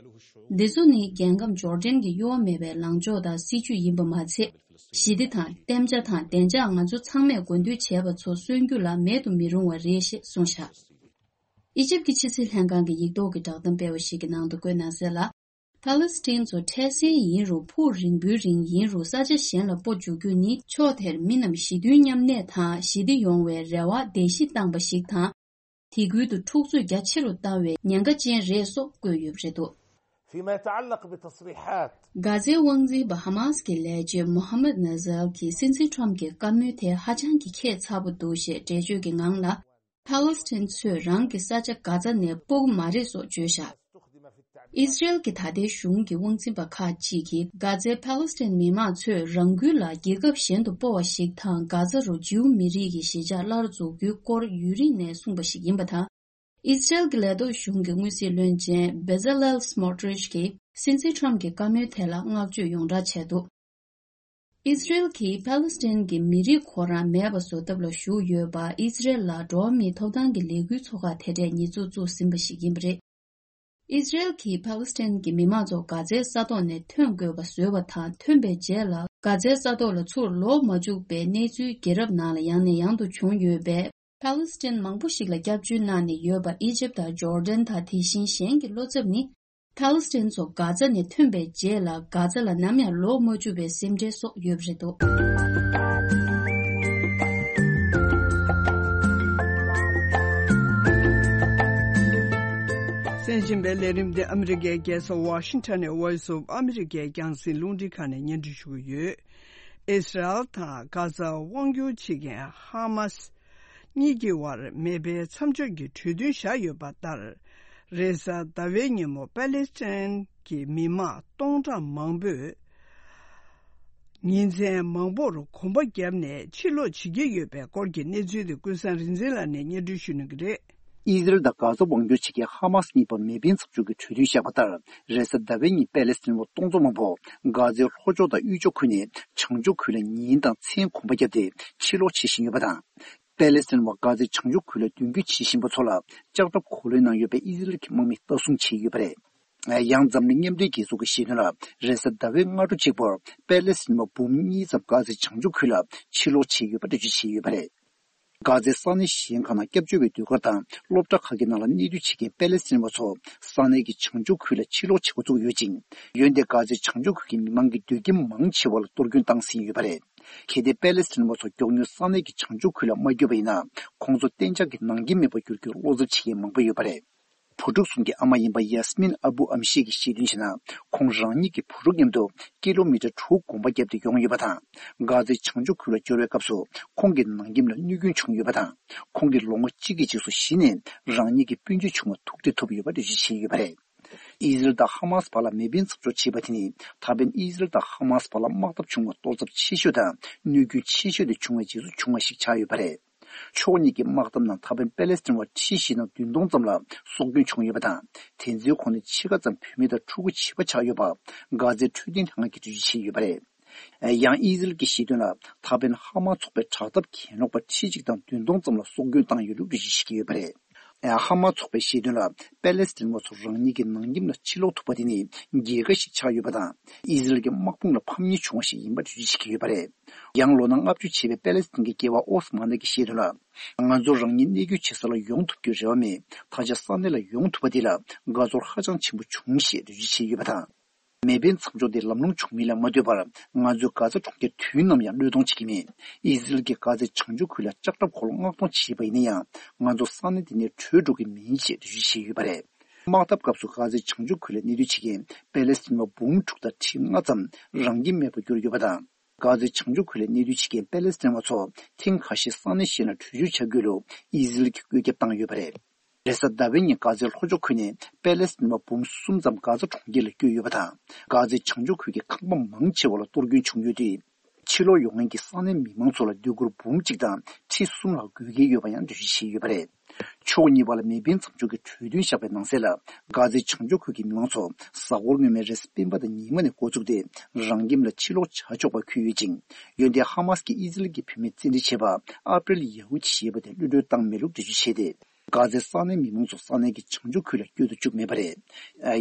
འདི་ཚོ་ནི་རྒྱལ་ཁམས་ཇོར་ཌན་གྱི་གཡོ་བ་མེད་པའི་ལངས་ཕྱོགས་དང་སྲིད་ཇུས་ཡིན་པ་མ་ཚད། ཞི་བདེ་དང་བརྟན་འཇགས་དང་བདེ་འཇགས་ང་ཚོ་ཚང་མས་དགོས་འདུན་བྱས་པ་ཚོ་གསོན་རྒྱུ་ལ་མེད་དུ་མི་རུང་བ་རེད་ཞེས་གསུངས་བཞག་ཨི་ཇིབ་ཀྱི་ཕྱི་སྲིད་ལྷན་ཁང་གི་ཡིག་ཐོག་གི་བསྒྲགས་གཏམ་སྤེལ་བ་ཞིག་གི་ནང་དུ་བཀོད་གནང་གསལ་ལ། ཕ་ལེ་སི་ཐན་ཚོ་འཕྲལ་སེལ་ཡིན་རུང་འཕུར་རིང་པོའི་རིང་ཡིན་རུང་ས་ཆ་གཞན་ལ་སྤོ་འཇུག་རྒྱུ་ནི་ཕྱོགས་དེར་མི་རྣམས་ཞི་མཐུན་མཉམ་གནས་དང་ཞི་བདེ་ཡོང་བའི་རེ་བ་བརྡལ་བཤིག་བཏང་པ་ཞིག་དང་། དེ་ཁུལ་དུ་འཁྲུག་རྩོད་རྒྱ་ཆེ་རུ་བཏང་བའི་ཉེན་ཁ་ཅན་རེད་སོགས་བཀོད་ཡོད་པ་རེད་འདུག فيما يتعلق بتصريحات གྷ་ཛའི་དབང་འཛིན་པ་ཧ་མཱས་ཀྱི་ལས་བྱེད་མོ་ཧ་མད་ན་ཟལ་གྱིས་སྲིད་འཛིན་ཊམ་གྱི་བཀའ་མོལ་དེ་ཧ་ཅང་གི་ཁྱད་མཚར་པོ་འདུག་ཞེས་འགྲེལ་བརྗོད་ཀྱི་ངང་ལ། ཕ་ལེ་སི་ཐན་ཚོས་རང་གི་ས་ཆ་གྷ་ཛ་ནས་སྤོ་གི་མ་རེད་སོགས་བརྗོད་བཞག་ཨི་ཟི་རེལ་གྱི་ད་ལྟའི་གཞུང་གི་དབང་འཛིན་པ་ཁག་ཅིག་གིས་གྷ་ཛའི་ཕཱ་ལེ་སི་ཐན་མི་མང་ཚོས་རང་འགུལ་ལ་རྒྱལ་ཁབ་གཞན་དུ་སྤོ་བ་ཞིག་དང་། གྷ་ཛ་རུ་ཇིའུ་མི་རིགས་ཀྱི་གཞིས་ཆགས་སླར་འཛུགས་རྒྱུའི་སྐོར་ཡུན་རིང་ནས་གསུངས་པ་ཞིག་ཡིན་པ་དང་། ཨི་ཟི་རེལ་གྱི་ལས་ཐོག་གཞུང་གི་དངོས་སྲིད་བློན་ཆེན་བེ་ཛ་ལེལ་སི་མོ་ཏྲིཆ་གིས་སྲིད་འཛིན་ཁྲམ་གྱི་བཀའ་མོལ་དེ་ལ་བསྔགས་བརྗོད་ཡོངས་གྲགས་བྱས་འདུག་ཨི་ཟི་རེལ་གྱིས་ཕཱ་ལེ་སི་ཐན་གྱི་མི་རིགས་ཁོ་རང་མེད་པ་བཟོ་ཐབས་ལ་ཞུགས་ཡོད་པ། ཨི་ཟི་རེལ་ལ་འགྲོ་བ་མིའི་ཐོབ་ཐང་གི་ལས་འགུལ་ཚོགས་ཁག་དེ་གྲས་ཉེས་འཛུགས་བཙུགས་ཟིན་པ་ཞིག་ཡིན་པ་རེད། ཨི་ཟི་རེལ་གྱིས་ཕཱ་ལེ་སི་ཐན་གྱི་མི་མང་ཚོ་གྷ་ཛའི་ས་ཐོག་ནས་ཐོན་དགོས་པ་བཟོས་པ་དང་། ཐོན་པའི་རྗེས་ལ་གྷ་ཛའི་ས་ཐོག་ལ་ཚུར་ལོག་མ་བཅུག་པའི་གནས་ཚུལ་རྒྱལ་རབས་ནང་ལ་ཡང་ནས་ཡང་དུ་བྱུང་ཡོད་པས། ཕཱ་ལེ་སི་ཐན་མང་པོ་ཞིག་ལ་སྐྱབས་བཅོལ་གནང་ནས་ཡོད་པ་ཨི་ཇིབ་དང་ཇོར་ཌན་དང་དེ་བཞིན་གཞན་གྱི་བློ་འཚབ་ནི། ཕཱ་ལེ་སི་ཐན་ཚོ་གྷ་ཛ་ནས་ཐོན་པའི་རྗེས་ལ་གྷ་ཛ་ལ་ནམ་ཡང་ལོག་མ་བཅུག་པའི་སེམས་ཁྲལ་སོགས་ཡོད་པ་རེད་འདུག་གསན་བཞིན་པའི་ལས་རིམ་འདི་ཨ་མི་རི་ཀའི་རྒྱལ་ས་ཝ་ཤིང་ཊོན་ནས་Voice of America་ཡི་རྒྱང་སྲིང་རླུང་འཕྲིན་ཁང་ནས་སྙན་སྒྲོན་ཞུ་གི་ཡོད། ཨིས་རལ་དང་གྷ་ཛ་དབང་སྒྱུར་བྱེད་མཁན་ཧ་མ་སི་གཉིས་ཀྱི་དབར་མེ་འཕེན་མཚམས་འཇོག་གི་གྲོས་མཐུན་བཞག་ཡོད་པ་ལྟར། རེས་གཟའ་ཟླ་བའི་ཉིན་མོ་པཱ་ལེ་སི་ཐན་གྱི་མི་མང་སྟོང་ཕྲག་མང་པོས་ཉིན་མཚན་མང་པོར་གོམ་པ་བརྒྱབ་ནས་ཕྱིར་ལོག་བྱེད་ཀྱི་ཡོད་པའི་སྐོར་གྱི་གནས་ཚུལ་དེ་ཀུན་བཟང་རིག་འཛིན་ལགས་ནས་སྙན་སྒྲོན་ཞུ་གནང་གི་རེད། ཨི་ཟི་རལ་དང་གྷ་ཛ་དབང་སྒྱུར་བྱེད་མཁན་ཧ་མ་སི་གཉིས་བར་མེ་འཕེན་མཚམས་འཇོག་གི་གྲོས་མཐུན་བཞག་པ་ལྟར། རེས་གཟའ་ཟླ་བའི་ཉིན་པཱ་ལེ་སི་ཐན་པ་སྟོང་ཚོ་མང་པོ་གྷ་ཛའི་ལྷོ་ཕྱོགས་དང་དབུས་ཕྱོགས་ཁུལ་ནས་བྱང་ཕྱོགས་ཁུལ་ལ་ཉིན་དང་མཚན་གོམ་པ་བརྒྱབ་སྟེ་ཕྱིར་ལོག་བྱེད་བཞིན་ཡོད་པ་དང་། པཱ་ལེ་སི་ཐན་པ་གྷ་ཛའི་བྱང་ཕྱོགས་ཁུལ་ལ་མདུན་སྐྱོད་བྱེད་བཞིན་པ་ཚོ་ལ་ལྕགས་ཁྲབ་གོ་ལོན་གནང་ཡོད་པའི་ཨི་ཟི་རལ་གྱི་དམག་མིས་ལྟ་སྲུང་བྱས་ཡོད་པ་རེད། ཡང་འཛམ་གླིང་མཉམ་འབྲེལ་རྒྱལ་ཚོགས་ཀྱིས་བཤད་དོན་ལ། རེས་གཟའ་ཟླ་བའི་སྔ་དྲོ་གཅིག་པར་པཱ་ལེ་སི་ཐན་པ་འབུམ་གཉིས་ཙམ་གྷ་ཛའི་བྱང་ཕྱོགས་ཁུལ་ལ་ཕྱིར་ལོག་བྱས་ཡོད་པ་འགྲེལ་བརྗོད་བྱས་ཡོད་པ་རེད། གྷ་ཛའི་ས་གནས་གཞན་ཁག་ནང་སྐྱབས་བཅོལ་བའི་ཟློས་གར་དང་སློབ་གྲྭ་ཁག་གི་ནང་ལ་གནས་སྡོད་བྱེད་མཁན་པཱ་ལེ་སི་ཐན་པ་ཚོ་ས་གནས་ཀྱི་བྱང་ཕྱོགས་ཁུལ་ལ་ཕྱིར་ལོག་བྱེད་འགོ་བཙུགས་ཡོད་ཅིང་། འོན་ཏེ་གྷ་ཛའི་བྱང་ཕྱོགས་ཁུལ་གྱི་མི་མང་གི་སྡོད་ཁྱིམ་མང་ཆེ་བ་ལ་གཏོར་སྐྱོན་བཏང་ཟིན་ཡོད་པ་རེད། གལ་ཏེ་པཱ་ལེ་སི་ཐན་པ་ཚོ་མགྱོགས་མྱུར་ས་གནས་ཀྱི་བྱང་ཕྱོགས་ཁུལ་ལ་མ་བསྐྱོད་པ་ཡིན་ན། ཁོང་ཚོ་གཏན་འཇགས་ཀྱི་ནང་རྐྱེན་མེད་པར་གྱུར་རྒྱུར་བློ་འཚབ་བྱེད་མཁན་མང་པོ་ཡོད་པ་རེད། བུ་ཕྲུག་གསུམ་གྱི་ཨ་མ་ཡིན་པ་ཡཱ་སི་མིན་ཨ་བུ་ཨམ་ཤེ་གིས་བཤད་དོན་བྱས་ན། ཁོང་རང་ཉིད་ཀྱི་བུ་ཕྲུག་མཉམ་དུ་ཀི་ལོ་མི་ཊར་དྲུག་གོམ་པ་བརྒྱབ་སྟེ་ཡོང་ཡོད་པ་དང་། གྷ་ཛའི་བྱང་ཕྱོགས་ཁུལ་ལ་འབྱོར་བའི་སྐབས་སུ་ཁོང་གི་ནང་ཁྱིམ་ལ་གནོད་སྐྱོན་བྱུང་ཡོད་པ་དང་། ཁོང་གིས་ལོ་ངོ་གཅིག་གི་རྗེས་སུ་གཞི་ནས་རང་ཉིད་ཀྱི་སྤུན་མཆེད་ཆུང་བ་ཐུག་འཕྲད་ཐུབ་ཡོད་པ་འགྲེལ་བརྗོད་བྱས་ཡོད་པ་རེད། ཨི་ཟི་རལ་དང་ཧ་མ་སི་བར་ལ་མེ་འཕེན་མཚམས་འཇོག་བྱས་པ་དེ་ནི། ད་ཕན་ཨི་ཟི་རལ་དང་ཧ་མ་སི་བར་ལ་དམག་འཐབ་བྱུང་བ་གཏོར་ཚབས་ཆེ་ཤོས་དང་གནོད་སྐྱོན་ཆེ་ཤོས་དེ་བྱུང་བའི་རྗེས་སུ་བྱུང་བ་ཞིག་ཆགས་ཡོད་པ་རེད། ཕྱོགས་གཉིས་ཀྱི་དམག་འཐབ་ནང་ད་ཕན་པེ་ལེ་སི་ཐན་བ་ཁྲི་བཞི་དང་བདུན་སྟོང་ཙམ་ལ་སྲོག་སྐྱོན་བྱུང་ཡོད་པ་དང་། དེ་ཚོའི་ཁོངས་ནས་ཕྱེད་ཀ་ཙམ་བུད་མེད་དང་ཕྲུ་གུ་བྱིས་པ་ཆགས་ཡོད་པ། གྷ་ཛའི་འཕྲོད་བསྟེན་ལྷན་ཁང་གིས་འགྲེལ་བརྗོད་བྱས་ཡོད་པ་རེད། ཡང་ཨི་ཟི་རལ་གྱིས་བཤད་དོན་ལ། ད་ཕན་ཧ་མ་ཚོགས་པའི་དྲག་འཐབ་གྱེན་ལོག་པ་ཁྲི་གཅིག་དང་བདུན་སྟོང་ཙམ་ལ་སྲོག་སྐྱོན་བཏང་ཡོད་ལུགས་འགྲེལ་བརྗོད་བྱེད་ཀྱི་ཡོད་པ་རེད། ཧ་མ་ཚོགས་པས་བཤད་དོན་ལ། པེ་ལེ་སི་ཐན་བ་ཚོ་རང་ཉིད་ཀྱི་ནང་ཁྱིམ་ལ་ཕྱིར་ལོག་ཐུབ་པ་དེ་ནི་རྒྱལ་ཁ་ཞིག་ཆགས་ཡོད་པ་དང་། ཨི་ཟི་རལ་གྱི་དམག་དཔུང་ལ་ཕམ་ཉེས་བྱུང་བ་ཞིག་ཡིན་པ་འགྲེལ་བརྗོད་བྱེད་ཀྱི་ཡོད་པ་རེད། ཡང་ལོ་ན་ལྔ་བཅུ་བྱས་པའི་པེ་ལེ་སི་ཐན་གྱི་རྒྱལ་བ་ཨོ་སི་མ་ནི་གྱིས་བཤད་དོན་ལ། ང་ཚོ་རང་ཉིད་གནས་སྐྱོད་བྱེད་ས་ལ་ཡོང་ཐུབ་རྒྱུའི་རེ་བ་མེད། ད་ཆ་ས་གནས་ལ་ཡོང་ཐུབ་པ་དེ་ལ་དགའ་ཚོར་ཧ་ཅང་ཆེན་པོ་བྱུང་ཞེས་འགྲེལ་བརྗོད་བྱས་ཡོད་པ་དང་། མེ་འཕེན་མཚམས་འཇོག་དེ་ལམ་ལྷོང་བྱུང་མིན་ལ་མ་ལྟོས་པར། ང་ཚོས་གྷ་ཛ་གྲོང་ཁྱེར་དུས་ནམ་ཡང་བློས་གཏོང་བྱེད་ཀྱི་མེད། ཨི་ཟི་རལ་གྱིས་གྷ་ཛའི་བྱང་ཕྱོགས་ཁུལ་ལ་ལྕགས་ཁྲབ་འཁོར་ལོ་མངགས་གཏོང་བྱས་པ་ཡིན་ན་ཡང་། ང་ཚོ་ས་གནས་དེ་ནས་བྲོས་འགྲོ་གི་མིན་ཞེས་འགྲེལ་བརྗོད་བྱས་ཡོད་པ་རེད། དམག་འཐབ་སྐབས་སུ་གྷ་ཛའི་བྱང་ཕྱོགས་ཁུལ་ལ་གནས་སྡོད་བྱེད་མཁན་པེ་ལེ་སི་ཐན་བ་འབུམ་དྲུག་དང་ཁྲི་ལྔ་ཙམ་རང་ཁྱིམ་མེད་པར་གྱུར་ཡོད་པ་དང་། གྷ་ཛའི་བྱང་ཕྱོགས་ཁུལ་ལ་གནས་སྡོད་བྱེད་མཁན་པེ་ལེ་སི་ཐན་བ་ཚོ་ཐེངས་ཁ་ཤས་ས་གནས་གཞན་ལ་བྲོས་བྱོལ་བྱ་རྒྱུ་ལུ་ཨི་ཟི་རལ་གྱིས་བཀོད་ཁྱབ་བཏང་ཡོད་པ་རེད། རེས་གཟའ་ཟླ་བའི་ཉིན་གྷ་ཛའི་ལྷོ་ཕྱོགས་ཁུལ་ནས་པེ་ལེ་སི་ཐན་བ་འབུམ་གསུམ་ཙམ་གྷ་ཛ་གྲོང་ཁྱེར་ལ་བསྐྱོད་ཡོད་པ་དང་། གྷ་ཛའི་བྱང་ཕྱོགས་ཁུལ་གྱི་ཁང་པ་མང་ཆེ་བ་ལ་གཏོར་སྐྱོན་བྱུང་ཡོད་དུས། ཕྱིར་ལོག་ཡོང་མཁན་གྱི་ས་གནས་མི་མང་ཚོ་ལ་སྡོད་གུར་འབུམ་གཅིག་དང་ཁྲི་གསུམ་ལྷག་དགོས་ཀྱི་ཡོད་པ་ཡང་འགྲེལ་བརྗོད་བྱས་ཡོད་པ་རེད། ཕྱོགས་གཉིས་བར་ལ་མེ་འཕེན་མཚམས་འཇོག་གི་གྲོས་མཐུན་བཞག་པའི་ནང་གསལ་ལ། གྷ་ཛའི་བྱང་ཕྱོགས་ཁུལ་གྱི་མི་མང་ཚོ་གཟའ་འཁོར་སྔོན་མའི་རེས་གཟའ་སྤེན་པ་དང་ཉི་མ་ནས་འགོ་བཙུགས་ཏེ་རང་ཁྱིམ་ལ་ཕྱིར་ལོག་བྱ་ཆོག་པར་འཁོད་ཡོད་ཅིང་། འོན་ཏེ་ཧ་མ་སི་ཀྱིས་ཨི་ཟི་རལ་གྱི་བུད་མེད་བཙན་ཁྲིད་བྱས་པ་ཨ་པྲེལ་ཡ་ཧུ་ཅི་ཞེས་པ་དེ་གློད་གྲོལ་བཏང་མེད་ལུགས་འགྲེལ་བརྗོད་བྱས་ཏེ། གྷ་ཛའི་ས་གནས་མི་མང་ཚོ་ས་གནས་ཀྱི་བྱང་ཕྱོགས་ཁུལ་ལ་བསྐྱོད་དུ་བཅུག་མེད་པ་རེད།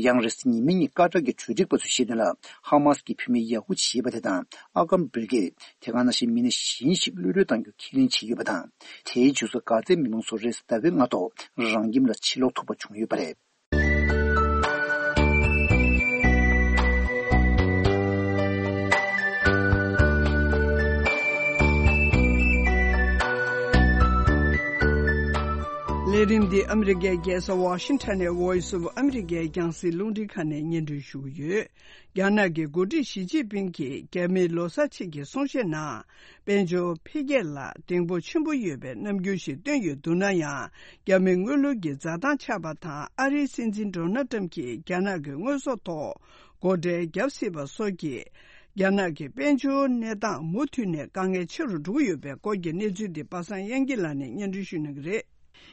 ཡང་རེས་གཟའ་ཉི་མའི་ཉིན་ཀ་ཏར་གྱི་གྲོས་སྒྲིག་པ་ཚོས་བཤད་དོན་ལ། ཧ་མ་སི་ཀྱི་བུད་མེད་ཡ་ཧུ་ཅི་ཞེས་པ་དེ་དང་ཨ་ཀམ་བིར་གྱིས་དེ་ག་ནང་བཞིན་མི་སྣ་གཞན་ཞིག་གློད་གྲོལ་གཏང་རྒྱུ་ཁས་ལེན་བྱས་ཡོད་པ་དང་། དེའི་རྗེས་སུ་གྷ་ཛའི་མི་མང་ཚོ་རེས་གཟའ་ཟླ་བའི་སྔ་ཐོག་རང་ཁྱིམ་ལ་ཕྱིར་ལོག་ཐུབ་པ་བྱུང་ཡོད་པ་རེད། ལས་ ཁྲིམས་འདི་ཨ་མི་རི་ཀའི་རྒྱལ་ས་ཝ་ཤིང་ཊོན་ནས་Voice of America་རྒྱང་སྲིང་རླུང་འཕྲིན་ཁང་ནས་སྙན་སྒྲོན་ཞུ་གི་ཡོད། རྒྱ་ནག་གི་འགོ་ཁྲིད་ཞི་ཅིན་ཕིང་གིས་རྒྱ་མིའི་ལོ་གསར་ཆེད་ཀྱི་གསུང་བཤད་ནང་། དཔལ་འབྱོར་འཕེལ་རྒྱས་ལ་གདེང་སྤོབས་ཆེན་པོ་ཡོད་པའི་རྣམ་འགྱུར་ཞིག་བཏོན་ཡོད་འདུག་ན་ཡང་། རྒྱ་མིའི་དངུལ་ལོར་གྱི་འཛའ་ཐང་ཆག་པ་དང་། ཨ་རིའི་སྲིད་འཛིན་ཌོ་ནལ་ཊམ་གྱིས་རྒྱ་ནག་གི་དངོས་ཟོག་ཐོག་སྒོ་ཁྲལ་བརྒྱབ་སྲིད་པ་སོགས་ཀྱིས། རྒྱ་ནག་གི་དཔལ་འབྱོར་གནས་སྟངས་མུ་མཐུད་ནས་དཀའ་ངལ་ཆེ་རུ་འགྲོ་གི་ཡོད་པའི་སྐོར་གྱི་གནས་ཚུལ་འདི་པ་སངས་དབྱངས་སྐྱིད་ལགས་ནས་སྙན་སྒྲོན་ཞུ་གནང་གི་རེད།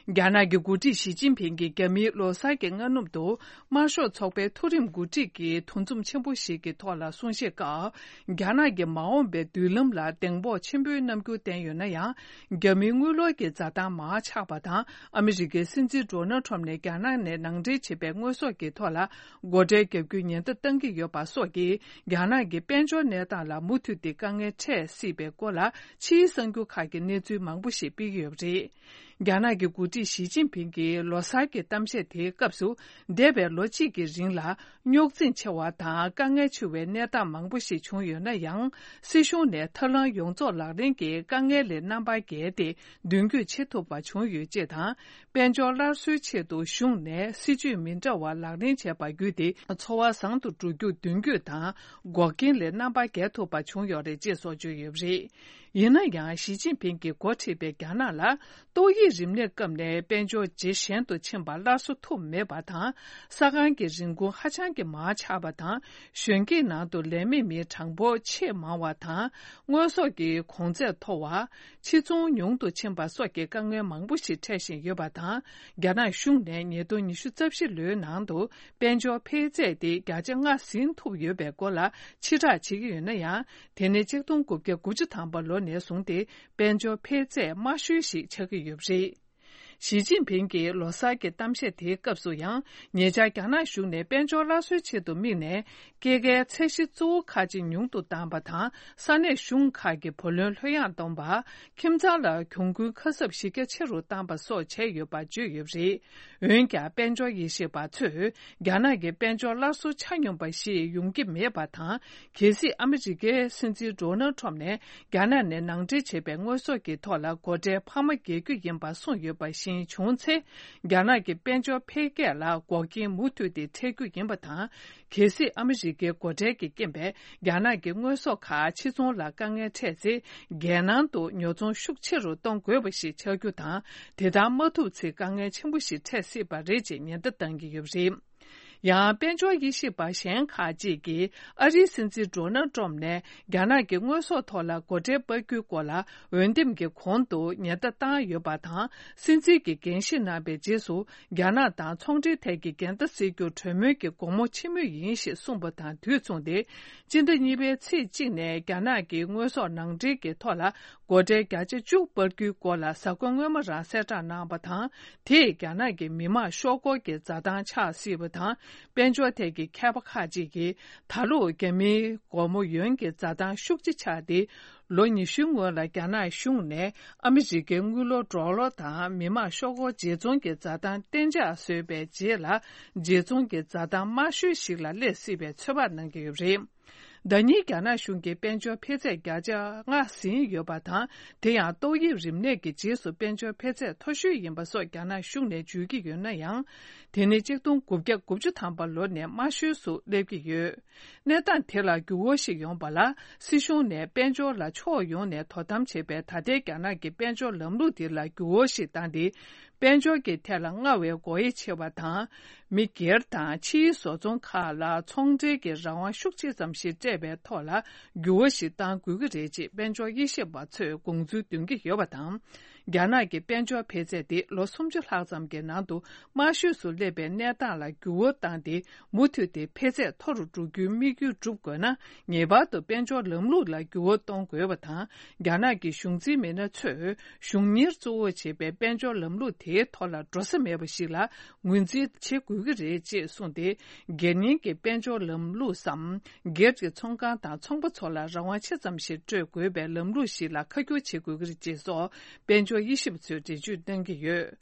རྒྱ་ནག་གི་འགོ་ཁྲིད་ཞི་ཅིན་ཕིང་གིས་རྒྱ་མིའི་ལོ་གསར་གྱི་སྔ་ནུབ་ཏུ། དམར་ཤོག་ཚོགས་པའི་མཐོ་རིམ་འགོ་ཁྲིད་ཀྱིས་འདུ་འཛོམས་ཆེན་པོ་ཞིག་གི་ཐོག་ལ་གསུང་བཤད་སྐབས། རྒྱ་ནག་གི་མ་འོངས་པའི་མདུན་ལམ་ལ་གདེང་སྤོབས་ཆེན་པོའི་རྣམ་འགྱུར་བསྟན་ཡོད་ན་ཡང་། རྒྱ་མིའི་དངུལ་ལོར་གྱི་འཛའ་ཐང་མར་ཆག་པ་དང་། ཨ་མི་རི་ཀའི་སྲིད་འཛིན་ཌོ་ནལ་ཊམ་ནས་རྒྱ་ནག་ནས་ནང་འདྲེན་བྱས་པའི་དངོས་ཟོག་གི་ཐོག་ལ་སྒོ་ཁྲལ་བརྒྱབ་རྒྱུའི་ཉེན་བརྡ་བཏང་གི་ཡོད་པ་སོགས་ཀྱིས། རྒྱ་ནག་གི་དཔལ་འབྱོར་གནས་སྟངས་ལ་མུ་མཐུད་དེ་དཀའ་ངལ་འཕྲད་སྲིད་པའི་སྐོར་ལ། ཕྱིའི་གསར་འགྱུར་ཁག་གིས་གནས་ཚུལ་མང་པོ་ཞིག་སྤེལ་གྱི་ཡོད་པ་རེད། རྒྱ་ནག་གི་འགོ་ཁྲིད་ཞི་ཅིན་ཕིང་གི་ལོ་གསར་གྱི་གཏམ་བཤད་དེའི་སྐབས་སུ། འདས་པའི་ལོ་གཅིག་གི་རིང་ལ། རྙོག་འཛིང་ཆེ་བ་དང་དཀའ་ངལ་ཆེ་བའི་གནས་སྟངས་མང་པོ་ཞིག་བྱུང་ཡོད་ན་ཡང་། སྲིད་གཞུང་ནས་ཐབས་ལམ་ཡོངས་རྫོགས་ལག་ལེན་གྱིས་དཀའ་ངལ་ལས་རྣམ་པ་བརྒལ་ཏེ་མདུན་སྐྱོད་བྱེད་ཐུབ་པ་བྱུང་ཡོད་ཅེས་དང་། དཔལ་འབྱོར་སླར་གསོའི་ཆེད་དུ་གཞུང་ནས་སྲིད་ཇུས་མི་འདྲ་བ་ལག་ལེན་བྱས་པ་བརྒྱུད་དེ། འཚོ་བ་བཟང་དུ་འགྲོ་རྒྱུར་མདུན་སྐྱོད་དང་། འགོག་རྐྱེན་ལས་རྣམ་པ་བརྒལ་ཐུབ་པ་བྱུང་ཡོད་རེད་ཅེས་སོགས་བརྗོད་ཡོད་པ་རེད། ཡིན་ན་ཡང་། ཞི་ཅིན་ཕིང་གིས་འགོ་ཁྲིད་པའི་རྒྱ་ནག་ལ། ཏོག་དབྱིབས་རིམས་ནད་སྐབས་ནས་དཔལ་འབྱོར་ཇེ་ཞན་དུ་ཕྱིན་པ་སླར་གསོ་ཐུབ་མེད་པ་དང་། ས་ཁང་གི་རིན་གོང་ཧ་ཅང་གི་མར་ཆག་པ་དང་། གཞོན་སྐྱེས་ནང་དུ་ལས་མེད་མིའི་གྲངས་འབོར་ཆེས་མང་བ་དང་། དངོས་ཟོག་གི་གོང་ཚད་མཐོ་བ། ཕྱིར་ཚོང་ཉུང་དུ་ཕྱིན་པ་སོགས་ཀྱི་དཀའ་ངལ་མང་པོ་ཞིག་འཕྲད་བཞིན་ཡོད་པ་དང་། རྒྱ་ནག་གཞུང་ནས་ཉིས་སྟོང་ཉི་ཤུ་རྩ་བཞི་ལོའི་ནང་དུ། དཔལ་འབྱོར་འཕེལ་ཚད་དེ་བརྒྱ་ཆ་ལྔ་ཟིན་ཐུབ་ཡོད་པའི་སྐོར་ལ་ཕྱིར་བསྒྲགས་བྱེད་ཀྱི་ཡོད་ན་ཡང་། དེ་ནི་ཆིག་སྟོང་དགུ་བརྒྱ་དགུ་བཅུ་ཐམ་པ་ལོ་ནས་བཟུང་སྟེ་དཔལ་འབྱོར་འཕེལ་ཚད་དམའ་ཤོས་ཤིག་ཆགས་ཀྱི་ཡོད་པ་རེད། ཞི་ཅིན་ཕིང་གིས་ལོ་གསར་གྱི་གཏམ་བཤད་དེའི་སྐབས་སུ་ཡང་། ཉེ་ཆར་རྒྱ་ནག་གཞུང་ནས་དཔལ་འབྱོར་སླར་གསོའི་ཆེད་དུ་དམིགས་ནས། སྐྱེད་ཀའི་ཚད་གཞི་གཙོ་བོ་ཁག་ཅིག་ཉུང་དུ་བཏང་པ་དང་། ས་གནས་གཞུང་ཁག་གི་བུ་ལོན་ལྷོད་ཡངས་གཏོང་པ། ཁྱིམ་ཚང་ལ་གྱོང་གུན་ཁ་གསབ་གཞི་རྒྱ་ཆེ་རུ་བཏང་པ་སོགས་བྱས་ཡོད་པ་བརྗོད་ཡོད་པ་རེད། འོན་ཀྱང་། དཔལ་འབྱོར་དབྱེ་ཞིབ་པ་ཚོས། རྒྱ་ནག་གི་དཔལ་འབྱོར་སླར་གསོ་ཆ་སྙོམས་པ་ཞིག་ཡོང་གི་མེད་པ་དང་། གལ་སྲིད་ཨ་མི་རི་ཀའི་སྲིད་འཛིན་ཌོ་ནལ་ཊམ་ནས་རྒྱ་ནག་ནས་ནང་འདྲེན་བྱས་པའི་དངོས་ཟོག་གི་ཐོག་ལ་སྒོ་ཁྲལ་འཕར་མ་འགེལ་རྒྱུ་ཡིན་པ་གསུངས་ཡོད་པ་བཞིན་བྱུང་ཚེ། རྒྱ་ནག་གི་དཔལ་འབྱོར་འཕེལ་རྒྱས་ལ་འགོག་རྐྱེན་མུ་མཐུད་དེ་འཕྲད་རྒྱུ་ཡིན་པ་དང་། གལ་སྲིད་ཨ་མི་རི་ཀའི་སྒོ་ཁྲལ་གྱི་རྐྱེན་པས་རྒྱ་ནག་གི་དངོས་ཟོག་ཁག་ཕྱིར་ཚོང་ལ་དཀའ་ངལ་འཕྲད་ཚེ། རྒྱལ་ནང་དུ་ཉོ་ཚོང་ཤུགས་ཆེ་རུ་གཏོང་དགོས་པ་ཞིག་ཆགས་རྒྱུ་དང་། དེ་ལྟར་མ་ཐུབ་ཚེ་དཀའ་ངལ་ཆེན་པོ་ཞིག་འཕྲད་སྲིད་པ་རེད་ཅེས་ཉེན་བརྡ་བཏང་གི་ཡོད་པ་རེད། ཡང་། དཔལ་འབྱོར་དབྱེ་ཞིབ་པ་གཞན་ཁག་ཅིག་གིས་ཨ་རིའི་སྲིད་འཛིན་ཌོ་ནལ་ཊམ་ནས་རྒྱ་ནག་གི་དངོས་ཟོག་ཐོག་ལ་སྒོ་ཁྲལ་སྤར་རྒྱུའི་སྐོར་ལ་འོས་འདེམས་ཀྱི་གོང་དུ་ཉེན་བརྡ་བཏང་ཡོད་པ་དང་། སྲིད་འཛིན་གྱིས་འགན་བཞེས་གནང་པའི་རྗེས་སུ། རྒྱ་ནག་དང་ཚོང་འབྲེལ་ཐད་ཀྱི་འགལ་ཟླ་སེལ་རྒྱུར་གྲོས་མོལ་གྱི་སྒོ་མོ་ཕྱེ་མུས་ཡིན་ཞེས་གསུངས་པ་དང་དུས་མཚུངས་ཏེ། སྤྱི་ཟླ་གཉིས་པའི་ཚེས་གཅིག་ནས་རྒྱ་ནག་གིས་དངོས་ཟོག་ནང་འདྲེན་གྱི་ཐོག་ལ་སྒོ་ཁྲལ་བརྒྱ་ཆ་བཅུ་སྤར་རྒྱུའི་སྐོར་ལ་གཟའ་འཁོར་སྔོན་མ་རང་གསལ་བསྒྲགས་གནང་བ་དང་། དེས་རྒྱ་ནག་གི་མི་དམངས་ཤོག་སྒོར་གྱི་འཛའ་ཐང་ཆག་སྲིད་པ་དང་། དཔལ་འབྱོར་ཐད་ཀྱི་མཁས་པ་ཁག་ཅིག་གིས། ད་ལོ་རྒྱ་མིའི་སྒོར་མོ་ཡོན་གྱི་འཛའ་ཐང་ཤུགས་ཆེ་ཆག་སྟེ། ལོ་ཉི་ཤུའི་སྔོན་ལ་རྒྱ་ནག་གཞུང་ནས་ཨ་མི་རི་ཀའི་དངུལ་ལོར་ཌོ་ལར་དང་མི་དམངས་ཤོག་སྒོར་བརྗེ་ཚོང་གི་འཛའ་ཐང་གཏན་འཇགས་བཟོས་པའི་རྗེས་ལ། བརྗེ་ཚོང་གི་འཛའ་ཐང་དམའ་ཤོས་ཤིག་ལ་སླེབས་སྲིད་པའི་ཚོད་དཔག་གནང་གི་ཡོད་པ་རེད། ཟླ་ཉིན་རྒྱ་ནག་གཞུང་གིས་དཔལ་འབྱོར་འཕེལ་ཚད་བརྒྱ་ཆ་ལྔ་ཟིན་ཡོད་པ་དང་། དེ་ཡང་ཏོག་དབྱིབས་རིམས་ནད་ཀྱི་རྗེས་སུ་དཔལ་འབྱོར་འཕེལ་ཚད་མཐོ་ཤོས་ཡིན་པ་སོགས་རྒྱ་ནག་གཞུང་ནས་བརྗོད་ཀྱི་ཡོད་ན་ཡང་། དེ་ནི་གཅིག་སྟོང་དགུ་བརྒྱ་དགུ་བཅུ་ཐམ་པ་ལོ་ནས་དམའ་ཤོས་སུ་སླེབས་ཀྱི་ཡོད། གནས་སྟངས་དེ་ལ་འགྱུར་བ་ཞིག་ཡོང་བ་ལ། སྲིད་གཞུང་ནས་དཔལ་འབྱོར་ལ་ཕྱོགས་ཡོངས་ནས་དོ་དམ་བྱེད་པའི་ད་ལྟའི་རྒྱ་ནག་གི་དཔལ་འབྱོར་ལམ་ལུགས་དེ་ལ་འགྱུར་བ་ཞིག་བཏང་སྟེ། དཔལ་འབྱོར་གྱི་ཐད་ལ་སྔར་བས་སྒོ་དབྱེ་ཆེ་བ་དང་། མི་སྒེར་དང་ཕྱིའི་བཟོ་ཚོང་ཁག་ལ་ཚོང་འབྲེལ་གྱི་རང་དབང་ཤུགས་ཆེ་ཙམ་ཞིག་སྤྲད་པའི་ཐོག་ལ་འགྱུར་བ་ཞིག་གཏང་དགོས་ཀྱི་རེད་ཅེས་དཔལ་འབྱོར་དབྱེ་ཞིབ་པ་ཚོས་དགོངས་ཚུལ་འདོན་གྱི་ཡོད་པ་དང་། རྒྱ་ནག་གི་དཔལ་འབྱོར་འཕེལ་ཚད་དེ་ལོ་སུམ་ཅུ་ལྷག་ཙམ་གྱི་ནང་དུ་དམའ་ཤོས་སུ་སླེབས་པའི་གནས་སྟངས་ལ་འགྱུར་བ་བཏང་སྟེ། མུ་མཐུད་དེ་འཕེལ་ཚད་མཐོ་རུ་འགྲོ་རྒྱུའི་དམིགས་ཡུལ་སྒྲུབ་དགོས་ན། ངེས་པར་དུ་དཔལ་འབྱོར་ལམ་ལུགས་ལ་འགྱུར་བ་གཏོང་དགོས་པ་དང་། རྒྱ་ནག་གི་གཞུང་འཛིན་མི་སྣ་ཚོས་གཞུང་གཉེར་གཙོ་བོ་བྱེད་པའི་དཔལ་འབྱོར་ལམ་ལུགས་དེའི་ཐོག་ལ་འགྲོ་ས་མེད་པ་ཞིག་ལ་ངོས་འཛིན་བྱེད་དགོས་ཀྱི་རེད་ཅེས་གསུངས་ཏེ། སྒེར་གཉེར་གྱི་དཔལ་འབྱོར་ལམ་ལུགས་སམ། སྒེར་གྱི་ཚོང་ཁང་དང་ཚོང་པ་ཚོ་ལ་རང་དབང་ཆེ་ཙམ་ཞིག་སྤྲོད་དགོས་པའི་ལམ་ལུགས་ཤིག་ལ་ཁ་སྒྱུར་བྱེད་དགོས་ཀྱི་རེད་ཅེས་སོགས་དཔལ་འབྱོར་དབྱེ་ཞིབ་པ་ཚོས་འགྲེལ་བརྗོད་གནང་གི་ཡོད།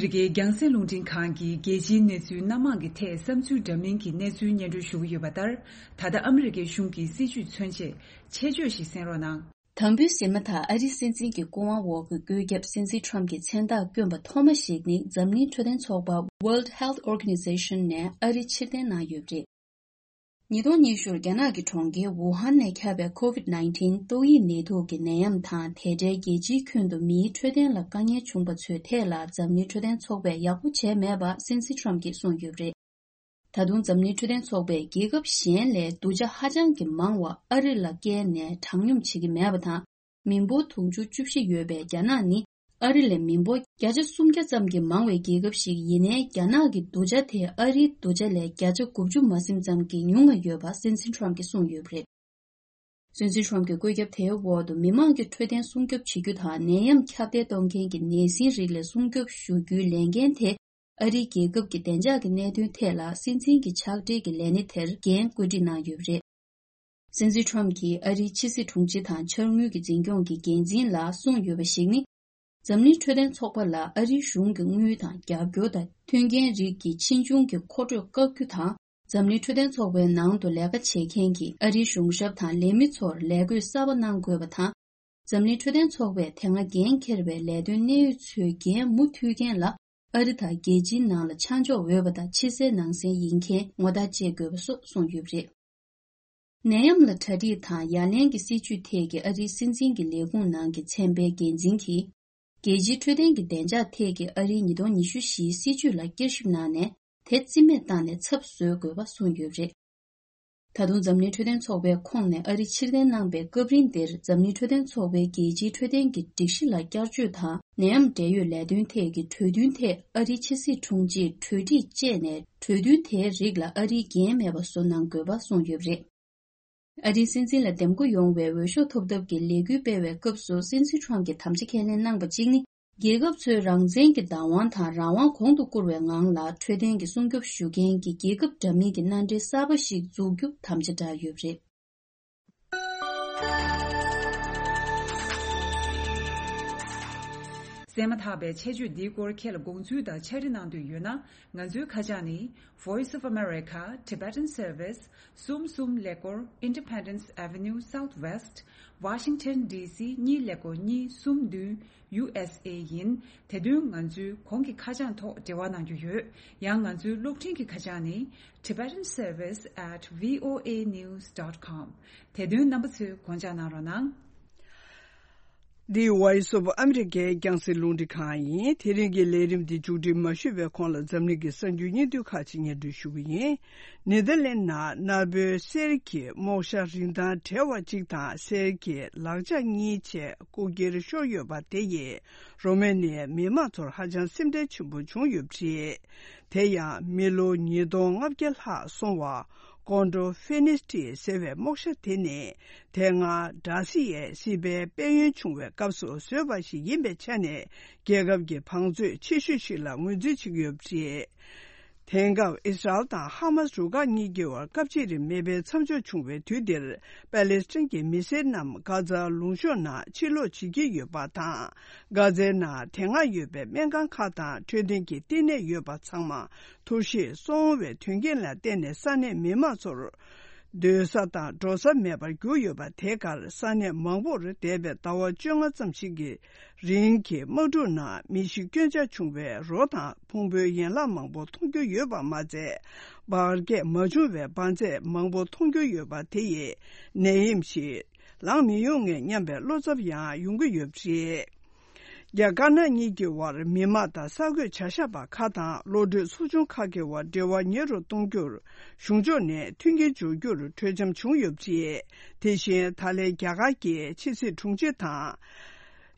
རི་ཀའི་རྒྱང་སྲིང་རླུང་འཕྲིན་ཁང་གིས་རྒྱལ་སྤྱིའི་གནས་ཚུལ་སྣ་མང་གི་ཐད་བསམ་ཚུལ་འདྲ་མིན་གྱི་གནས་ཚུལ་སྙན་སྒྲོན་ཞུ་གི་ཡོད་པ་ལྟར། ད་ལྟ་ཨ་མི་རི་ཀའི་གཞུང་གི་སྲིད་བྱུས་མཚོན་ཆེད་ཆེད་བརྗོད་ཞིག་གསན་རོགས་གནང་། དམ་འབུལ་ཟེར་མ་ཐག་ཨ་རིའི་སྲིད་འཛིན་གྱི་སྐུ་དབང་འོག་གི་བཀོད་ཁྱབ་སྲིད་འཛིན་ཊམ་གྱི་མཚན་རྟགས་བསྐྱོན་པ་ཐོག་མ་ཞིག་ནི་འཛམ་གླིང་འཕྲོད་བསྟེན་ཚོགས་པ་World Health Organization ནས་ཨ་རི་ཕྱིར་འཐེན་གནང་ཡོད་པ་རེད། ཉིས་སྟོང་ཉི་ཤུ་རྒྱ་ནག་གི་གྲོང་ཁྱེར་ཝུ་ཧན་ནས་ཁྱབ་པའི་ཀོ་ཝིད་ནའིན་ཊིན་ཏོག་དབྱིབས་ནད་དུག་གི་ནད་ཡམས་དང་། དེ་འབྲེལ་རྒྱལ་སྤྱིའི་ཁྱོན་དུ་མིའི་འཕྲོད་བསྟེན་ལ་དཀའ་ངལ་བྱུང་པ་ཚོའི་ཐད་ལ་འཛམ་གླིང་འཕྲོད་བསྟེན་ཚོགས་པས་ཡག་པོ་བྱས་མེད་པ་སྲིད་འཛིན་ཊམ་གྱིས་གསུངས་ཡོད་པ་རེད། ད་དུང་འཛམ་གླིང་འཕྲོད་བསྟེན་ཚོགས་པས་རྒྱལ་ཁབ་གཞན་ལས་རྡུལ་ཆ་ཧ་ཅང་གི་མང་བ་ཨ་རི་ལ་བསྐྱལ་ནས་དྲག་སྙོམས་བྱེད་ཀྱི་མེད་པ་དང་། མི་འབོར་དུང་ཕྱུར་བཅུ་བཞི་ཡོད་པའི་རྒྱ་ནག་ནི་ཨ་རི་ལས་མི་འབོར་བརྒྱ་ཆ་སུམ་བརྒྱ་ཙམ་གྱིས་མང་བའི་རྒྱལ་ཁབ་ཞིག་ཡིན་ནའི། རྒྱ་ནག་གི་རྡུལ་ཆ་དེ་ཨ་རིའི་རྡུལ་ཆ་ལས་བརྒྱ་ཆ་དགུ་བཅུ་མ་ཟིན་ཙམ་གྱིས་ཉུང་བ་ཡོད་པ་སྲིད་འཛིན་ཊམ་གྱིས་གསུངས་ཡོད་པ་རེད། སྲིད་འཛིན་ཊམ་གྱི་བཀོད་ཁྱབ་དེའི་འོག་ཏུ་མི་མང་གི་འཕྲོད་བསྟེན་སྲུང་སྐྱོབ་བྱེད་རྒྱུ་དང་། ནད་ཡམས་ཁྱབ་གདལ་གཏོང་མཁན་གྱི་ནད་སྲིན་རིགས་ལས་སྲུང་སྐྱོབ་ཞུ་རྒྱུའི་ལས་འགན་དེ་ཨ་རིའི་རྒྱལ་ཁབ་ཀྱི་བདེ་འཇགས་ཀྱི་གནད་དོན་ཐད་ལ་སྲིད་འཛིན་གྱི་ཕྱག་སྦྲེལ་གྱི་ལས་སྣེ་དེར་འགན་བཀོད་སྒྲིག་གནང་ཡོད་པ་རེད། སྲིད་འཛིན་ཊམ་གྱིས་ཨ་རིའི་ཕྱི་སྲིད་དྲུང་ཆེ་དང་འཆར་དངུལ་གྱི་འཛིན་སྐྱོང་གི་འགན་འཛིན་ལ་གསུངས་ཡོད་པ་ཞིག་ནི། འཛམ་གླིང་འཕྲོད་བསྟེན་ཚོགས་པ་ལ་ཨ་རིའི་གཞུང་གི་དངུལ་དང་རྒྱབ་སྐྱོར་དང་། མཐུན་རྐྱེན་རིགས་ཀྱི་ཕྱིས་འབྱུང་གི་མཁོ་སྤྲོད་བཀག་རྒྱུ་དང་། འཛམ་གླིང་འཕྲོད་བསྟེན་ཚོགས་པའི་ནང་དུ་ལས་ཀ་བྱེད་མཁན་གྱི་ཨ་རིའི་གཞུང་ཞབས་དང་ལས་མི་ཚོར་ལས་བགོས་གསར་པ་གནང་དགོས་པ་དང་། འཛམ་གླིང་འཕྲོད་བསྟེན་ཚོགས་པས་དེ་སྔ་འགན་འཁྱེར་བའི་ལས་དོན་གནད་ཡོད་ཚོའི་འགན་མུ་མཐུད་མཁན་ལ་ཨ་རི་དང་རྒྱལ་སྤྱིའི་ནང་ལ་ཆ་འཇོག་འོས་པ་དང་ཕྱི་གསལ་ནང་གསལ་ཡིན་མཁན་ངོ་རྟགས་བཅད་དགོས་པ་སོགས་གསུངས་ཡོད་པ་རེད། ནད་ཡམས་ལ་གྲ་སྒྲིག་དང་ཡ་ལན་གྱི་སྲིད་ཇུས་ཐད་ཀྱི་ཨ་རིའི་སྲིད་འཛིན་གྱི་ལས་ཁུངས་ནང་གི་ཚན་པའི་འགན་འཛིན་གྱིས། རྒྱལ་སྤྱིའི་འཕྲོད་བསྟེན་གྱི་བདེ་འཇགས་ཐད་ཀྱི་ཨ་རིའི་ཉིས་སྟོང་ཉི་ཤུ་བཞིའི་སྲིད་ཇུས་ལ་བསྐྱར་ཞིབ་གནང་ནས། དེ་རྩིས་མེད་བཏང་ནས་ཚབ་བཟོ་དགོས་པ་གསུངས་ཡོད་པ་རེད། ད་དུང་འཛམ་གླིང་འཕྲོད་བསྟེན་ཚོགས་པའི་ཁོངས་ནས་ཨ་རི་ཕྱིར་འཐེན་གནང་པའི་སྐབས་རིང་འདིར། འཛམ་གླིང་འཕྲོད་བསྟེན་ཚོགས་པའི་རྒྱལ་སྤྱིའི་འཕྲོད་བསྟེན་གྱི་སྒྲིག་གཞི་ལ་བསྐྱར་བཅོས་དང་། ནད་ཡམས་འབྲེལ་ཡོད་ལས་དོན་ཐད་ཀྱི་གྲོས་མཐུན་ཐད་ཨ་རིའི་ཕྱི་སྲིད་དྲུང་ཆེས་གྲོས་སྒྲིག་བཅས་ནས། གྲོས་མཐུན་དེའི་རིགས་ལ་ཨ་རིའི་འགན་མེད་པ་བཟོ་གནང་དགོས་པ་གསུངས་ཡོད་པ་རེད། ཨ་རིའི་སྲིད་འཛིན་ལ་འདེམས་བསྐོ་ཡོང་བའི་འོས་ཤོག་ཐོབ་ཐབས་ཀྱི་ལས་འགུལ་སྤེལ་བའི་སྐབས་སུ། སྲིད་འཛིན་ཊམ་གྱིས་དམ་བཅའ་ཁས་ལེན་གནང་པ་གཅིག་ནི། རྒྱལ་ཁབ་ཚོའི་རང་བཙན་གྱི་བདག་དབང་དང་རང་དབང་གོང་དུ་བཀུར་བའི་ངང་ལ་འཕྲོད་བསྟེན་གྱི་སྲུང་སྐྱོབ་ཞུ་མཁན་གྱི་རྒྱལ་ཁབ་འདྲ་མིན་གྱི་མནའ་འབྲེལ་གསར་པ་ཞིག་འཛུགས་རྒྱུ་དམ་བཅའ་བསྒྲགས་ཡོད་པ་རེད། གསན་མ་ཐག་པའི་ཆེད་བརྗོད་འདིའི་སྐོར་ཁྱེད་ལ་དགོངས་ཚུལ་དང་ཕྱག་བྲིས་གནང་འདོད་ཡོད་ན། ང་ཚོའི་ཁ་བྱང་ནི། Voice of America Tibetan Service། གསུམ་གསུམ་ཀླད་ཀོར། Independence Avenue Southwest། Washington D C གཉིས་ཀླད་ཀོར་གཉིས་གསུམ་བདུན། U S A ཡིན། དེ་དོན་ང་ཚོའི་གོང་གི་ཁ་བྱང་ཐོག་འབྲེལ་བ་གནང་རྒྱུ་ཡོད། ཡང་ང་ཚོའི་གློག་འཕྲིན་གྱི་ཁ་བྱང་ནི། Tibetan Service at V O A news dot com། དེ་དོན་རྣམ་པ་ཚོས་དགོངས་འཇགས་གནང་རོགས་གནང་། འདི་Voice of America རྒྱང་སྲིང་རླུང་འཕྲིན་ཁང་ཡིན། དེ་རིང་གི་ལས་རིམ་འདི་མཇུག་སྒྲིལ་མ་ཞུས་པའི་གོང་ལ། འཛམ་གླིང་གི་གསར་འགྱུར་སྙིང་བསྡུས་ཁག་ཅིག་སྙན་སྒྲོན་ཞུ་གི་ཡིན། ནེ་དར་ལེན་ནང་གནའ་བོའི་གསེར་གྱི་རྨོག་ཞྭ་རིན་ཐང་བྲལ་བ་གཅིག་དང་། གསེར་གྱི་ལག་ཆ་གཉིས་བཅས་རྐུ་འཁྱེར་ཤོར་ཡོད་པ་དེ་ཡིས་རོ་མེ་ནི་ཡའི་མི་མང་ཚོར་ཧ་ཅང་སེམས་ཁྲལ་ཆེན་པོ་བྱུང་ཡོད་པ་རེད། དེ་ཡང་མི་ལོ་ཉིས་སྟོང་ལྔ་བརྒྱ་ལྷག་སོང་བ་ཀོན་ཌོ་ཕེ་ནིས་ཊི་ཟེར་བའི་རྨོག་ཞྭ་དེ་ནི། དེ་སྔ་འབྲ་སི་ཡའི་སྲིད་པའི་དཔལ་ཡོན་བྱུང་བའི་སྐབས་སུ་བཟོས་པ་ཞིག་ཡིན་པའི་ཆ་ནས། རྒྱལ་ཁབ་ཀྱི་བང་མཛོད་ཆེ་ཤོས་ཤིག་ལ་ངོས་འཛིན་བྱེད་ཀྱི་ཡོད་པ་རེད། དེང་སྐབས་ཨི་སི་རལ་དང་ཧ་མ་སི་རུ་ཁག་གཉིས་ཀྱི་བར་སྐབས་གཅིག་རིང་མེ་འཕེན་མཚམས་འཇོག་བྱུང་བའི་དུས་འདིར། པ་ལེ་སི་ཐན་གྱི་མི་སེར་རྣམས་གྷ་ཛ་ལུང་གཤོང་ནང་ཕྱིར་ལོག་བྱེད་ཀྱི་ཡོད་པ་དང་། གྷ་ཛའི་ནང་དེ་སྔ་ཡོད་པའི་སྨན་ཁང་ཁག་དང་འཕྲོད་བསྟེན་གྱི་བསྟི་གནས་ཡོད་པ་ཚང་མ། འཐུ་བཞེས་སོང་བའི་དོན་རྐྱེན་ལ་བརྟེན་ནས། ས་གནས་མི་མང་ཚོར་སྡོད་ས་དང་འགྲོ་ས་མེད་པར་གྱུར་ཡོད་པ། དེའི་ཁར་ས་གནས་མང་པོར་འདས་པའི་ཟླ་བ་བཅོ་ལྔ་ཙམ་ཞིག་གི་རིང་གི་དམག་འཁྲུག་ནང་མི་ཤི་སྐྱོན་ཆག་བྱུང་བའི་རོ་དང་ཕུང་པོའི་ཡན་ལག་མང་པོ་མཐོང་རྒྱུ་ཡོད་པ་མ་ཚད། འབར་གས་མ་བྱུང་བའི་འབར་རྫས་མང་པོ་མཐོང་རྒྱུ་ཡོད་པ་དེ་ཡིས་ནད་ཡམས་ཤིག་ལངས་མི་ཡོང་ངེས་སྙམ་པའི་བློ་འཚབ་ཡང་ཡོང་གི་ཡོད་པ་རེད། རྒྱ་དཀར་ནག་གཉིས་ཀྱི་དབར་མི་དམངས་དང་གསར་འགོད་བྱ་གཞག་པ་ཁག་དང་བློ་གྲོས་ཚོགས་ཆུང་ཁག་གི་དབར་འབྲེལ་བ་ཉེ་རུ་གཏོང་རྒྱུར་གཞུང་ཕྱོགས་ནས་མཐུན་རྐྱེན་སྦྱོར་རྒྱུར་གྲོས་འཆམ་བྱུང་ཡོད་པ་རེད། དེ་བཞིན་ད་ལན་རྒྱ་གར་གྱི་ཕྱི་སྲིད་དྲུང་ཆེ་དང་།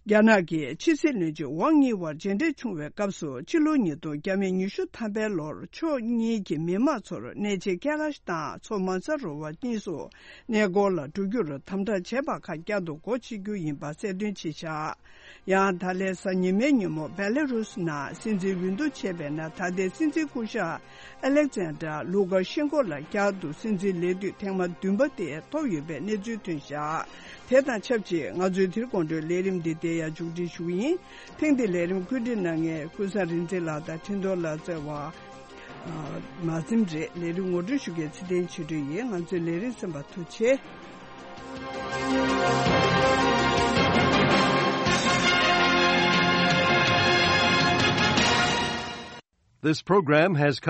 རྒྱ་ནག་གི་ཕྱི་སྲིད་བློན་ཆེན་ཝང་གཉིས་དབར་མཇལ་འཕྲད་བྱུང་བའི་སྐབས་སུ། ཕྱི་ལོ་ཉིས་སྟོང་ཉི་ཤུ་ཐམ་པའི་ལོར་ཕྱོགས་གཉིས་ཀྱི་མི་དམངས་ཚོར་གནས་ཆེན་ཀེ་ལ་ཤི་དང་མཚོ་མ་ས་རོ་བར་གཉིས་སུ་གནས་སྐོར་ལ་འགྲོ་རྒྱུར་དམ་དྲག་བྱས་པ་ཁག་བསྐྱར་དུ་སྒོ་ཕྱེ་རྒྱུ་ཡིན་པ་གསལ་སྟོན་བྱས་བཞག་ཡང་ད་ལན་གཟའ་ཉི་མའི་ཉིན་མོ་བེ་ལེ་རུ་སི་ནང་སྲིད་འཛིན་འོས་བསྡུ་བྱས་པའི་ནང་། ད་ལྟའི་སྲིད་འཛིན་སྐུ་ཞབས་ཨ་ལེག་ཛན་ཌར་ལུ་ཀ་ཤེན་ཀོ་ལ་བསྐྱར་དུ་སྲིད་འཛིན་ལས་དུས་ཐེངས་མ་བདུན་པ་དེ་ཐོབ་ཡོད་པའི་གནས་ཚུལ་ཐོན་བཞག་དེ་དང་ཆབས་ཅིག་ང་ཚོའི་དེ་རིང་དགོང་དྲོའི་ལས་རིམ་འདི་འདིར་ཡང་མཇུག་སྒྲིལ་ཞུ་གི་ཡིན། ཐེངས་འདིའི་ལས་རིམ་བཀོད་སྒྲིག་གནང་མཁན་ཀུན་བཟང་རིག་འཛིན་ལགས་དང་འཕྲིན་གཏོང་ལག་རྩལ་བ། ཨ། མ་བཟིམ་རེད། ལས་རིམ་ངོ་སྤྲོད་ཞུ་མཁན་ཚེ་བརྟན་ཆོས་སྒྲོན་ཡིན། ང་ཚོའི་ལས་རིམ་གསན་པར་ཐུགས་རྗེ་ཆེ། This program has come